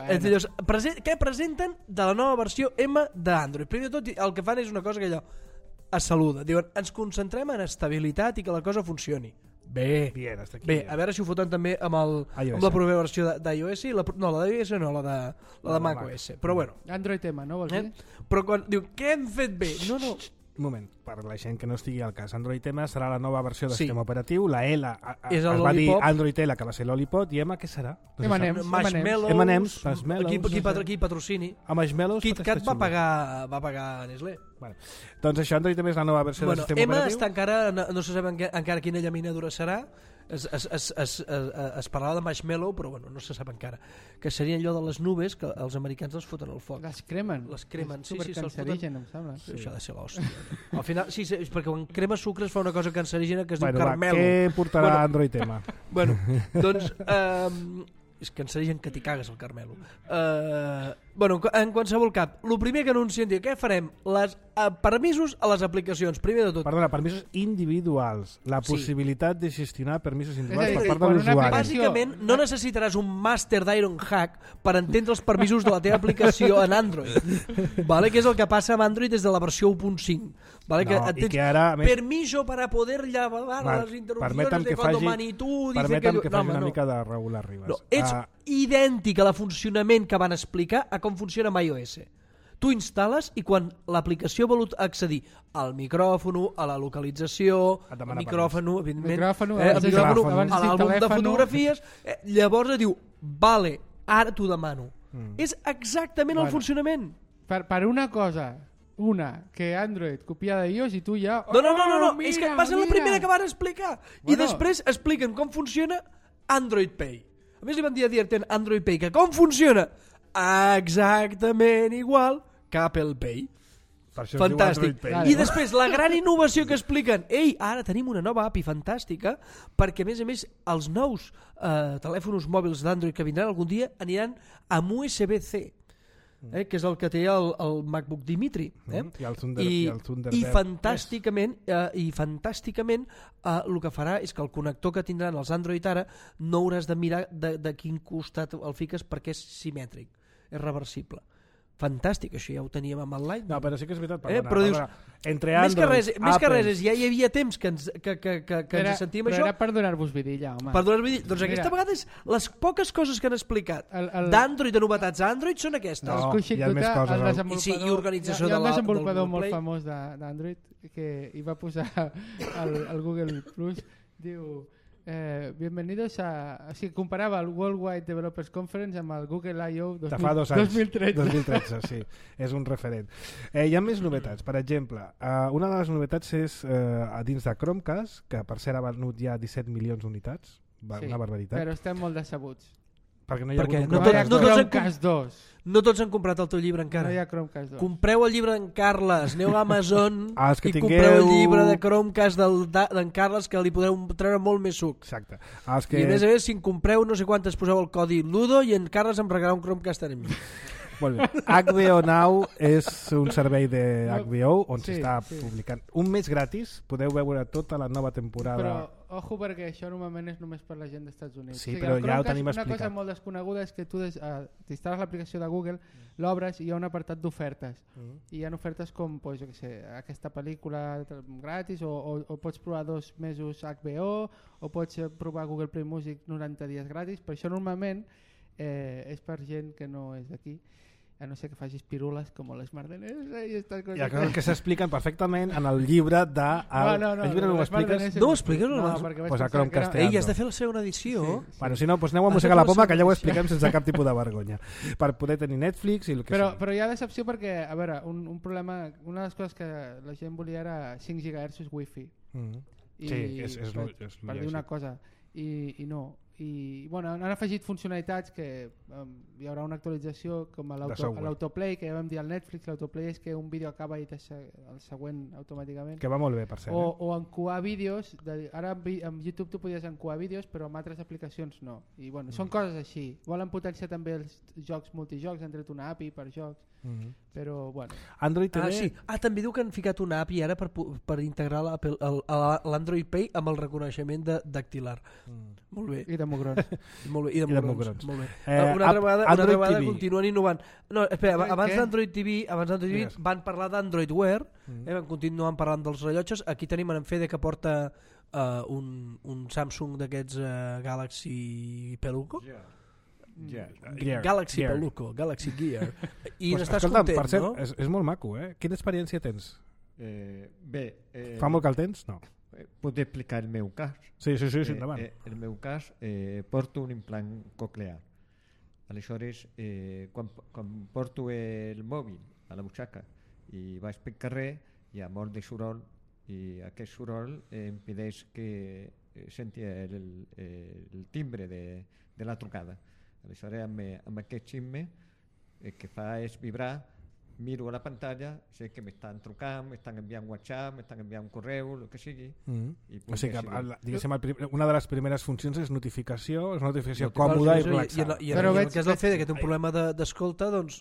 que presenten de la nova versió M d'Android. Primer de tot, el que fan és una cosa que allò es saluda. Diuen, ens concentrem en estabilitat i que la cosa funcioni. Bé, Bien, hasta aquí. bé, a veure si ho foten també amb la propera versió d'iOS i la d'iOS no, la de macOS. Però bueno, Android tema, no vols dir? però quan diu, què hem fet bé? No, Un moment, per la gent que no estigui al cas, Android M serà la nova versió del Sí. sistema operatiu, la L És el es va dir Lollipop. Android L, que va ser Lollipop, i M què serà? No se M&M's. sap. Marshmallows, M&M's, aquí patrocini. A Marshmallows KitKat pot estar va pagar Nestlé. Bueno, doncs això, Android M és la nova versió del sistema M operatiu. està encara, no se sap encara quina llaminadura serà. Es parlava de Marshmallow, però bueno, no se sap encara. Que seria allò de les nubes que els americans les foten al foc. Les cremen. Les cremen, És sí, se'ls foten. supercancerigen, em sembla. Sí. Això ha de ser l'hòstia. Al final, sí, és perquè quan crema sucre es fa una cosa cancerígena que es diu Va, carmelo. què portarà Bueno, Android M? Bueno, doncs... és cancerigen que t'hi cagues el carmelo. Bueno, en qualsevol cap, el primer que anuncien, diu, què farem? Permisos a les aplicacions, primer de tot. Perdona, permisos individuals. La Sí. possibilitat de gestionar permisos individuals És a per dir, part de quan una l'usuari. aplicació- Bàsicament, no necessitaràs un màster d'Ironhack per entendre els permisos de la teva aplicació en Android. Vale? Que és el que passa amb Android des de la versió 1.5. Vale? No, que i que ara, a més, permiso para poder llevar Val, las interrupciones permetem de que cuando faci- Manitou dice permetem que no, faci home, una no. mica de Raül Arribas. No, ets idèntic a la funcionament que van explicar a com funciona amb iOS. Tu instal·les i quan l'aplicació vol accedir al micròfon, a la localització, Et al demana micròfon, evidentment, Micròfon, al abans de- micròfon, abans a de dir l'àlbum de telèfon. fotografies, llavors diu, vale, ara t'ho demano. És exactament el Bueno. funcionament. Per una cosa, que Android copia de iOS i tu ja... No, mira, és que va ser la mira. primera que van explicar. I Bueno. després expliquen com funciona Android Pay. A més li van dir a Dierten Android Pay, que com funciona? Exactament igual que Apple Pay. Per això es diu Fantàstic. Android Pay. Vale. I després la gran innovació que expliquen, ei, ara tenim una nova API fantàstica perquè a més els nous telèfons mòbils d'Android que vindran algun dia aniran amb USB-C, que és el que té el MacBook Dimitri. I el Thunderbird. I fantàsticament el que farà és que el connector que tindran els Android ara no hauràs de mirar de quin costat el fiques perquè és simètric, és reversible. Fantàstic, això ja ho teníem amb el Lightning. No, però sí que és veritat. Però dius, entre més que Android, res Apple, és, ja hi havia temps que ens sentíem però això. era per donar-vos vidilla, home. Per donar-vos doncs Mira. aquesta vegada les poques coses que han explicat El- d'Android, de novetats a Android, són aquestes. No, El Kushik hi ha més Gupta, coses, el no? desenvolupador, I sí, i organització hi ha un del desenvolupador Google molt Play. famós d'Android que hi va posar el Google Plus, diu bienvenidos a... O sigui, comparava el Worldwide Developers Conference amb el Google I.O. de fa 2 anys. 2013. 2013, sí. És un referent. Hi ha més novetats. Per exemple, una de les novetats és a dins de Chromecast, que per cert ha venut ja 17 milions d'unitats. Sí, Una barbaritat. però estem molt decebuts. Perquè no hi ha Perquè hagut un no hi ha tots han Chromecast 2. No tots han comprat el teu llibre encara. No hi ha Chromecast 2. Compreu el llibre d'en Carles, aneu a Amazon Els que i tingueu- compreu el llibre de Chromecast d'en Carles, que li podreu treure molt més suc. Exacte. Els I a més, si en compreu no sé quantes, poseu el codi LUDO i en Carles em regalarà un Chromecast a mi. Molt bé. HBO Now és un servei de HBO on Sí, s'està sí. publicant. Un mes gratis, podeu veure tota la nova temporada. Però, ojo, perquè això normalment és només per la gent dels Estats Units. Sí, O sigui, però el ja ho Chromecast, tenim una explicat. cosa molt desconeguda és que tu t'instal·les l'aplicació de Google, l'obres i hi ha un apartat d'ofertes. I hi ha ofertes com, pues, jo què sé, aquesta pel·lícula gratis o pots provar 2 mesos HBO o pots provar Google Play Music 90 dies gratis. Per això normalment és per gent que no és d'aquí, a no ser que facis pirules com les Mardeners i estas coses. Hi ha coses que s'expliquen perfectament en el llibre de... El llibre no ho les Mardeners expliques? No ho expliques? No, No, perquè vaig Pues a pensar que Chromecast era- Ei, has de fer la segona edició. Sí. Bueno, si no, doncs aneu a Has Mossegar de la fer Poma, la que allà ho segona expliquem sense cap tipus de vergonya. Per poder tenir Netflix i el que Però sigui. hi ha decepció perquè, a veure, un problema, una de les coses que la gent volia era 5 GHz Wi-Fi. I, Sí, és per dir una cosa, i no. I bueno, han afegit funcionalitats que hi haurà una actualització com a software. l'autoplay, que ja vam dir al Netflix. L'autoplay és que un vídeo acaba i el següent automàticament. Que va molt bé, per cert. O encuar vídeos, ara amb YouTube tu podies encuar vídeos però amb altres aplicacions no, i bueno, són coses així. Volen potenciar també els jocs multijocs, han tret una API per jocs, però bueno. Android TV... Sí. També diu que han ficat una API ara per integrar l'Android Pay amb el reconeixement dactilar. Molt bé. I de mugrons. Molt bé. I de mugrons. Molt bé. Una altra vegada continuen innovant. No, espera, abans d'Android TV van parlar d'Android Wear, van continuar parlant dels rellotges. Aquí tenim en Fede que porta un Samsung d'aquests Galaxy Peluco. Galaxy Gear. Peluco, Galaxy Gear. I Pues, n'estàs escolta'm, content, per cert, no? és molt maco, eh? Quina experiència tens? Bé, Fa molt que el tens? No. puc explicar el meu cas. Sí, endavant. El meu cas, porto un implant coclear. Aleshores, quan porto el mòbil a la butxaca i vaig pel carrer, hi ha molt de soroll i aquest soroll em impedeix que senti el timbre de la trucada. Aleshores, amb aquest ximple el que fa és vibrar, miro a la pantalla, sé que m'estan trucant, m'estan enviant WhatsApp, m'estan enviant un correu, el que sigui. I O sigui que, decidir. diguéssim, una de les primeres funcions és notificació, és una notificació còmoda i relaxada. I en el cas del Fede, que té un problema d'escolta, doncs...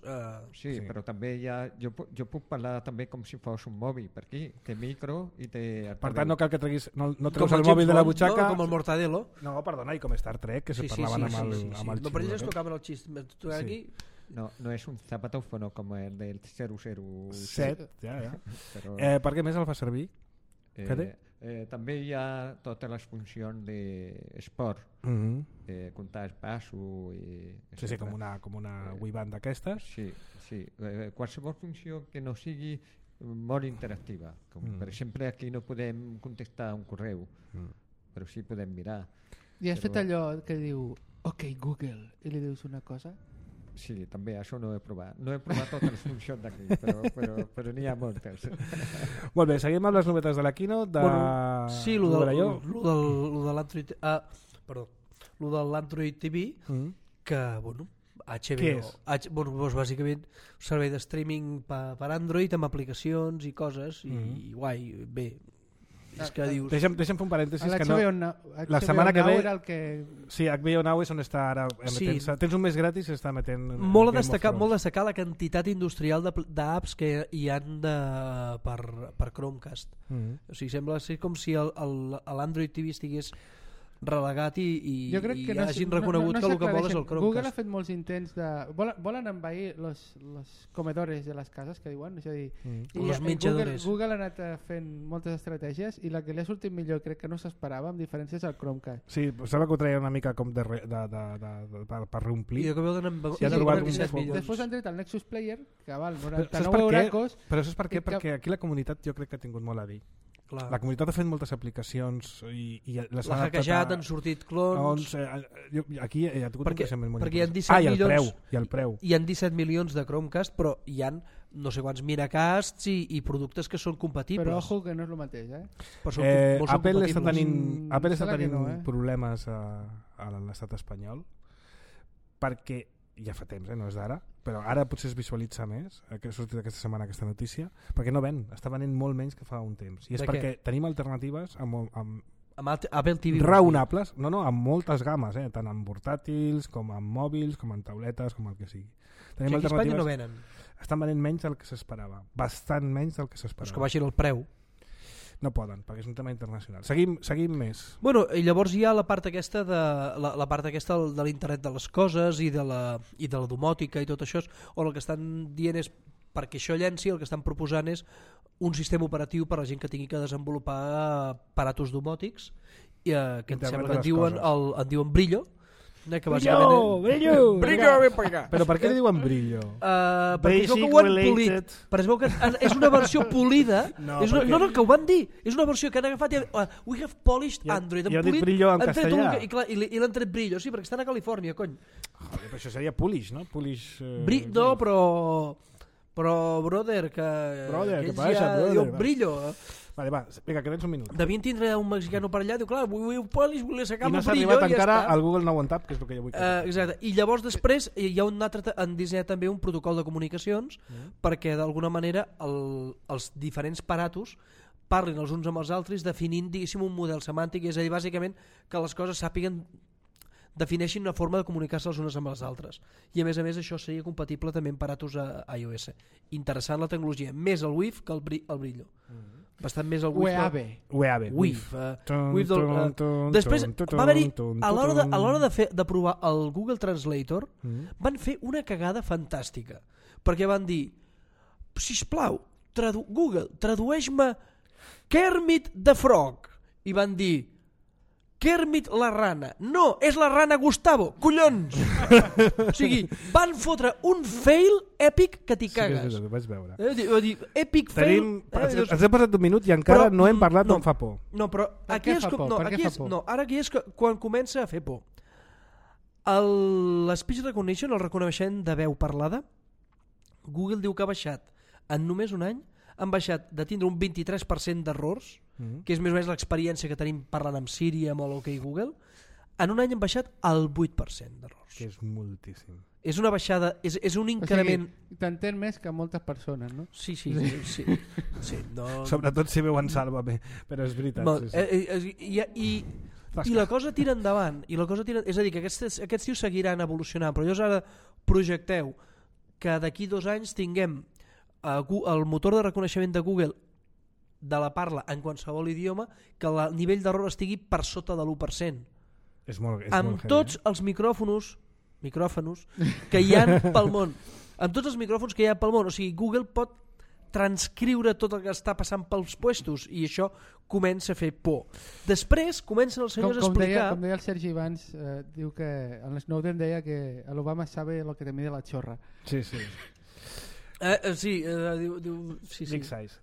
Sí, però també jo puc parlar també com si fos un mòbil per aquí, té micro i té... Per tant, no cal que treguis, no Com treus el el mòbil de la James Bond, butxaca. no? Com el Mortadelo. No, perdona, i com Star Trek, que se parlaven amb el No, per ells es tocaven el xist. Aquí... No és un zapatófono com el del 007. Ja. Però, Per què més el fa servir? també hi ha totes les funcions d'esport, comptar els passos i Sí, com una Wii Band d'aquestes. Sí. Qualsevol funció que no sigui molt interactiva, com per exemple aquí no podem contestar un correu, però sí podem mirar. I has fet allò que diu OK Google i li dius una cosa? Sí, també, això no he provat. No he provat totes les funcions d'aquí, però n'hi ha moltes. Molt bé, seguim amb les novetats de la Keynote. Sí, lo de l'Android TV, que, bueno, HBO, doncs bàsicament un servei de streaming per Android amb aplicacions i coses, i guai, bé. És que dius... Deixa'm fer un parèntesis que no... La setmana que ve... Era el que... Sí, HBO Now és on està ara emetent. Tens un mes gratis i està emetent... Molt a destacar la quantitat industrial d'apps que hi han per Chromecast. O sigui, sembla ser com si l'Android TV estigués relegat i hagin reconegut que el que vol és el Chromecast. Google ha fet molts intents de... Volen envair los comedores de les cases, que diuen, és a dir... Los menjadores. Google ha anat fent moltes estratègies i la que li ha sortit millor, crec que no s'esperava, amb diferències al Chromecast. Sí, sembla que ho treia una mica com per reomplir. I que veuen amb... Després han tret el Nexus Player, que val 99 euracos... Però saps per què? Perquè aquí la comunitat jo crec que ha tingut molt a dir. La comunitat ha fet moltes aplicacions i les ha hackejat, han sortit clons. Aquí hi ha tingut un creixement molt perquè hi ha 17 milions, i el preu. Hi ha 17 milions de Chromecast, però hi ha no sé quants Miracasts i productes que són compatibles. Però ojo que no és el mateix, Apple està tenint problemes a l'estat espanyol perquè ja fa temps, no és d'ara, però ara potser es visualitza més, que ha sortit aquesta setmana aquesta notícia, perquè no ven, està venent molt menys que fa un temps. I és perquè tenim alternatives amb Apple TV raonables, amb moltes games, tant en portàtils, com en mòbils, com en tauletes, com el que sigui. Tenim alternatives. Aquí a Espanya no venen. Estan venent menys del que s'esperava, bastant menys del que s'esperava. Pues que baixin el preu. No poden, perquè és un tema internacional. Seguim més. Bueno, i llavors hi ha la part aquesta de la part aquesta de l'internet de les coses i de la domòtica i tot això, on el que estan dient és perquè això llenci, el que estan proposant és un sistema operatiu per a la gent que tingui que desenvolupar aparatos domòtics que em sembla que en diuen Brillo, que Brillo, ven per acá. Però per què li diuen Brillo? Perquè es veu que ho han polit, però es veu que és una versió polida. No, que ho van dir, és una versió que han agafat i we have polished Android. Jo dic Brillo en castellà. I l'han tret Brillo, sí, perquè estan a Califòrnia, cony. Joder, però això seria Polish, no? No, però brother, que passa, brother? Brillo. Vale, va, vinga, que tens un minut. Devien tindre un mexicano per allà, diu, clar, volia sacar i no el s'ha Brillo arribat encara al Google Now on Tap, que és el que jo vull. Exacte, i llavors després hi ha un altre, han dissenyat també un protocol de comunicacions perquè d'alguna manera els diferents aparatos parlin els uns amb els altres definint, diguéssim, un model semàntic, és a dir, bàsicament que les coses sàpiguen defineixin una forma de comunicar-se els uns amb els altres. I a més això seria compatible també amb aparatos a iOS. Interessant la tecnologia, més el WIF que el Brillo. Bastant més el WIF. Després va haver-hi a l'hora de provar el Google Translator van fer una cagada fantàstica, perquè van dir, sisplau, Google, tradueix-me Kermit the Frog, i van dir Kermit la rana. No, és la rana Gustavo, collons! O sigui, van fotre un fail èpic que t'hi cagues. Sí, vaig veure. Epic fail... Ens hem passat un minut i encara no hem parlat d'on fa por. No, però aquí és quan comença a fer por. L'speech recognition, el reconeixement de veu parlada, Google diu que ha baixat en només un any, han baixat de tindre un 23% d'errors, que és més o menys l'experiència que tenim parlant amb Siri, amb OK Google, en un any han baixat el 8% d'errors. Que és moltíssim. És una baixada, és un increment... O sigui, t'entén més que moltes persones, no? Sí, no... Sobretot si veuen Sálvame, però és veritat. I la cosa tira endavant, és a dir, que aquests tios seguiran evolucionant, però llavors ara projecteu que d'aquí 2 anys tinguem el motor de reconeixement de Google de la parla en qualsevol idioma, que el nivell d'error estigui per sota de l'1%. Amb tots els micròfons que hi ha pel món. Amb tots els micròfons que hi ha pel món. O sigui, Google pot transcriure tot el que està passant pels puestos i això comença a fer por. Després comencen els senyors a explicar... Com deia el Sergi abans, diu que el Snowden deia que l'Obama sabe lo que te mide la chorra. Sí.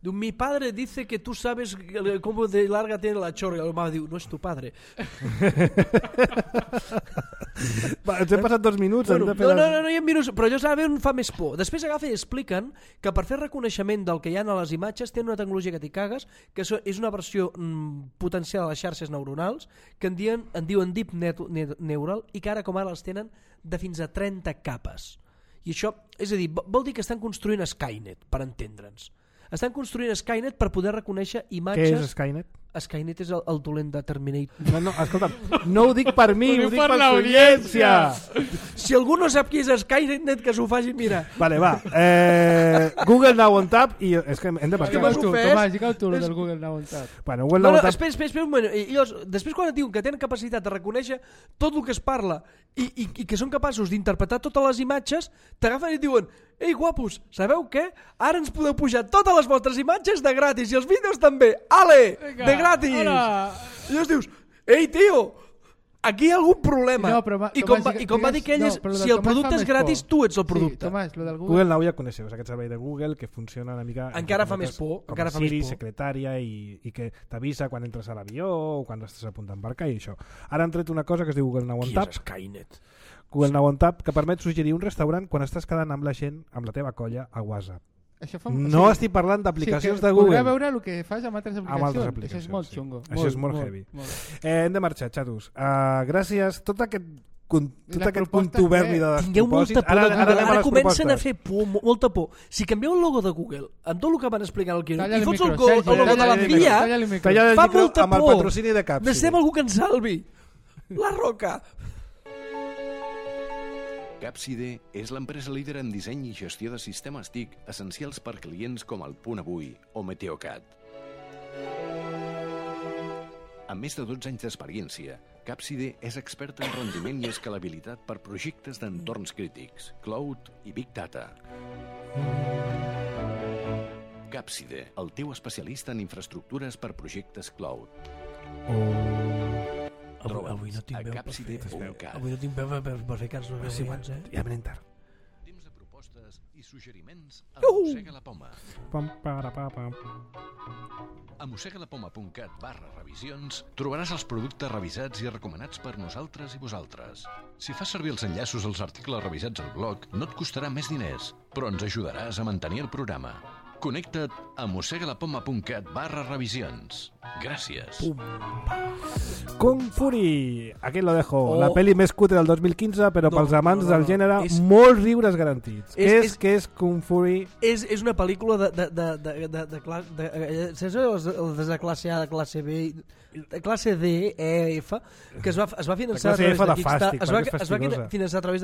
Diu, mi padre dice que tú sabes cómo de larga tiene la chorra. I el Obama diu, no és tu padre. Ens hem passat 2 minuts. No hi ha minuts, però allò em fa més por. Després agafen i expliquen que per fer reconeixement del que hi ha a les imatges tenen una tecnologia que t'hi cagues, que és una versió potencial de les xarxes neuronals, que en diuen Deep Neural, i que ara com ara les tenen de fins a 30 capes. I això, és a dir, vol dir que estan construint Skynet, per entendre'ns. Estan construint Skynet per poder reconèixer imatges... Què és Skynet? Skynet és el dolent de Terminator. No, escolta'm, no ho dic per mi, ho dic per l'audiència. Si algú no sap qui és Skynet, que s'ho faci mirar. Vale, va. Google Now on Tap i és que hem de passar. Tomàs, digue tu del Google Now on Tap. Bueno, Google Now on Tap... Espera un moment. Després quan et diuen que tenen capacitat de reconèixer tot el que es parla i que són capaços d'interpretar totes les imatges, t'agafen i et diuen: ei, guapos, sabeu què? Ara ens podeu pujar totes les vostres imatges de gratis i els vídeos també. Ale! De gratis! I llavors dius, ei, tio, aquí hi ha algun problema. I com va dir que ell és, si el producte és gratis, tu ets el producte. Tomàs, lo del Google Now ja coneixeu, és aquest servei de Google que funciona una mica... Encara fa més por. Com a Siri, secretària, i que t'avisa quan entres a l'avió o quan estàs a punt d'embarcar i això. Ara han tret una cosa que es diu Google Now on Tap. Qui és Skynet? Google Now on Tap, que permet suggerir un restaurant quan estàs quedant amb la gent, amb la teva colla, a WhatsApp. No estic parlant d'aplicacions de Google. Podrà veure el que fas amb altres aplicacions. Això és molt xungo. Això és molt heavy. Hem de marxar, xatos. Gràcies. Tot aquest tot aquest contuberni de Tingueu molta despropòsits. por de Google. anem a Ara les comencen a propostes. fer por, molta por. Si canvieu el logo de Google amb tot el que van explicar al Keynote Talla i el fots el micro, Sergi, logo de talla la el micro, FIA, talla el micro. Talla el fa micro molta amb el por. patrocini de Capsi. Necessitem algú que ens salvi. La Roca. Capside és l'empresa líder en disseny i gestió de sistemes TIC essencials per clients com el Punt Avui o Meteocat. Amb més de 12 anys d'experiència, Capside és experta en rendiment i escalabilitat per projectes d'entorns crítics, cloud i big data. Capside, el teu especialista en infraestructures per projectes cloud. Avui no tinc a veu per capside.cat. Avui no tinc veu per fer cants no Sí, abans, ja venim tard. Temps de propostes i suggeriments a Mossega la Poma. A mossegalapoma.cat/revisions trobaràs els productes revisats i recomanats per nosaltres i vosaltres. Si fas servir els enllaços als articles revisats al blog, no et costarà més diners, però ens ajudaràs a mantenir el programa. Connecta't a mossegalapoma.cat/revisions. Gràcies. Kung Fury, aquí lo dejo. Oh. La pel·li més cutre del 2015, però No, pels amants no, no, del no. gènere, És- molts riures garantits. És- Què és Kung Fury? És una pel·lícula saps els de classe A, de classe B, de classe D, E, F, que es va finançar a classe través F de de fàstic, perquè és es va fastigosa. finançar a través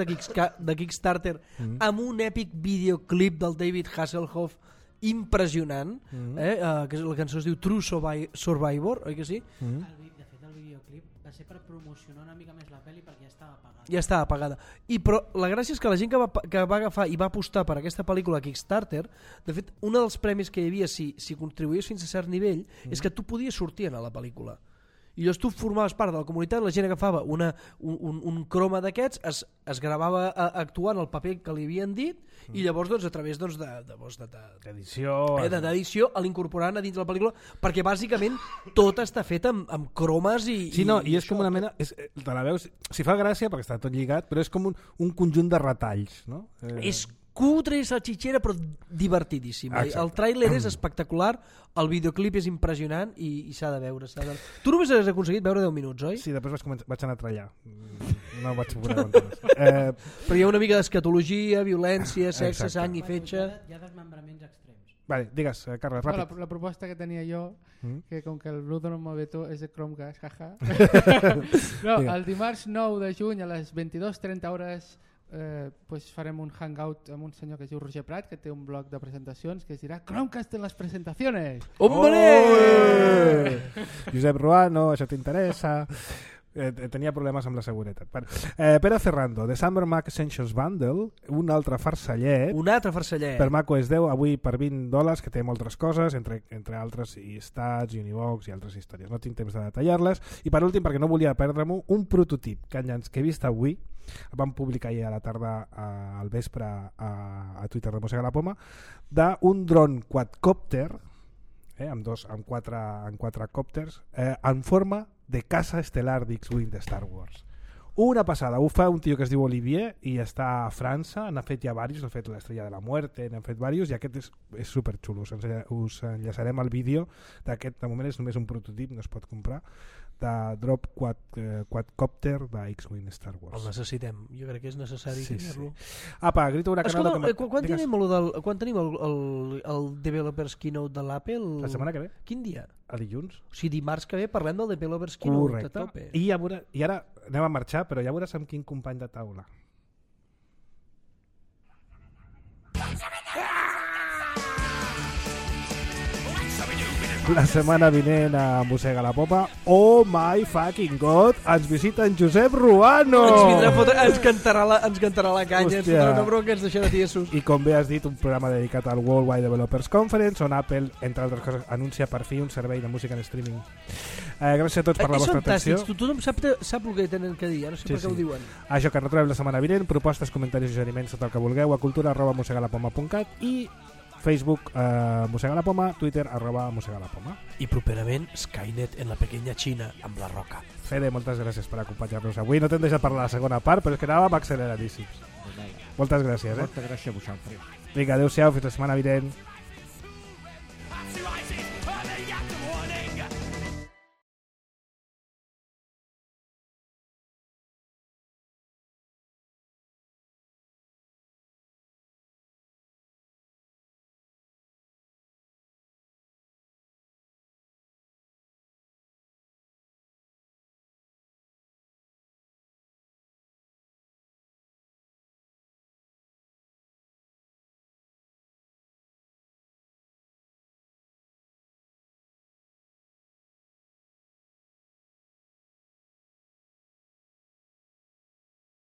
de Kickstarter amb un èpic videoclip del David Hasselhoff impressionant, que la cançó es diu True Survivor, oi que sí? De fet, el videoclip va ser per promocionar una mica més la pel·li perquè ja estava apagada. Ja estava apagada. Però la gràcia és que la gent que va agafar i va apostar per aquesta pel·lícula Kickstarter, de fet, un dels premis que hi havia si contribuïes fins a cert nivell és que tu podies sortir a la pel·lícula. I llavors tu formaves part de la comunitat, la gent agafava un croma d'aquests, es gravava actuant el paper que li havien dit i llavors a través Edició. d'edició l'incorporaven a dins de la pel·lícula, perquè bàsicament tot està fet amb cromes i... Sí, no, i és com una mena... Te la veus, si fa gràcia, perquè està tot lligat, però és com un conjunt de retalls, no? És cutre i salxitxera, però divertidíssima. Exacte. El tràiler és espectacular, el videoclip és impressionant i s'ha de veure. Tu només has aconseguit veure 10 minuts, oi? Sí, després vaig anar a trallar. No vaig poder aguantar més. Però hi ha una mica d'escatologia, violència, sexe, Exacte. sang i fetge... Hi ha desmembraments extrems. Vale, digues, Carles, No, ràpid. la proposta que tenia jo, que com que el Bluetooth no em mou bé tu, és de Chromecast, jaja. No, el dimarts 9 de juny a les 22:30 hores pues farem un hangout amb un senyor que es diu Roger Prat, que té un blog de presentacions que es dirà Chromecast en les presentaciones. Hombre! Josep Ruano, això t'interessa? Tenia problemes amb la seguretat. Pere Ferrando, The Summer Mac Essentials Bundle, un altre farcellet. Un altre farcellet. Per macOS 10, avui per $20, que té moltes coses, entre altres i Stats, Univox i altres històries. No tinc temps de detallar-les. I per últim, perquè no volia perdre-m'ho, un prototip que he vist avui, el vam publicar ahir a la tarda al vespre a Twitter de Mossega la Poma, d'un dron quadcòpter, amb quatre còpters, en forma de casa estel·lar d'X-Wing de Star Wars. Una passada, ho fa un tio que es diu Olivier i està a França, n'ha fet ja diversos, ha fet l'Estrella de la Muerte, n'han fet diversos, i aquest és superxulo. Us enllaçarem el vídeo d'aquest, de moment és només un prototip, no es pot comprar, de drop quadcòpter de X-Wing Star Wars. El necessitem, jo crec que és necessari tenir-lo. Apa, grito huracanado. Escolta, quan tenim el Developers Keynote de l'Apple? La setmana que ve. Quin dia? A dilluns. O sigui, dimarts que ve parlem del Developers Keynote. Correcte. A tope. I ara anem a marxar, però ja veuràs amb quin company de taula. La setmana vinent a Mossega la Popa, oh my fucking god, ens visita en Josep Ruano! Ens vindrà a fotre, ens cantarà la canya, ens Hòstia. fotrà una bronca, ens deixarà tiesos. I com bé has dit, un programa dedicat al Worldwide Developers Conference, on Apple, entre altres coses, anuncia per fi un servei de música en streaming. Gràcies a tots per la vostra atenció. Tothom sap el que tenen que dir, no sé per què ho diuen. Això, que ens retrobem la setmana vinent, propostes, comentaris i suggeriments, tot el que vulgueu, a cultura@mossegalapoma.cat i Facebook Mossega la Poma, Twitter @Mossega la Poma. I properament Skynet en la pequeña Xina amb la Roca. Fede, moltes gràcies per acompanyar-nos avui. No t'hem deixat parlar la segona part, però és que anàvem acceleradíssims. Moltes gràcies. Moltes gràcies a vosaltres. Vinga, adeu-siau, fins la setmana vinent.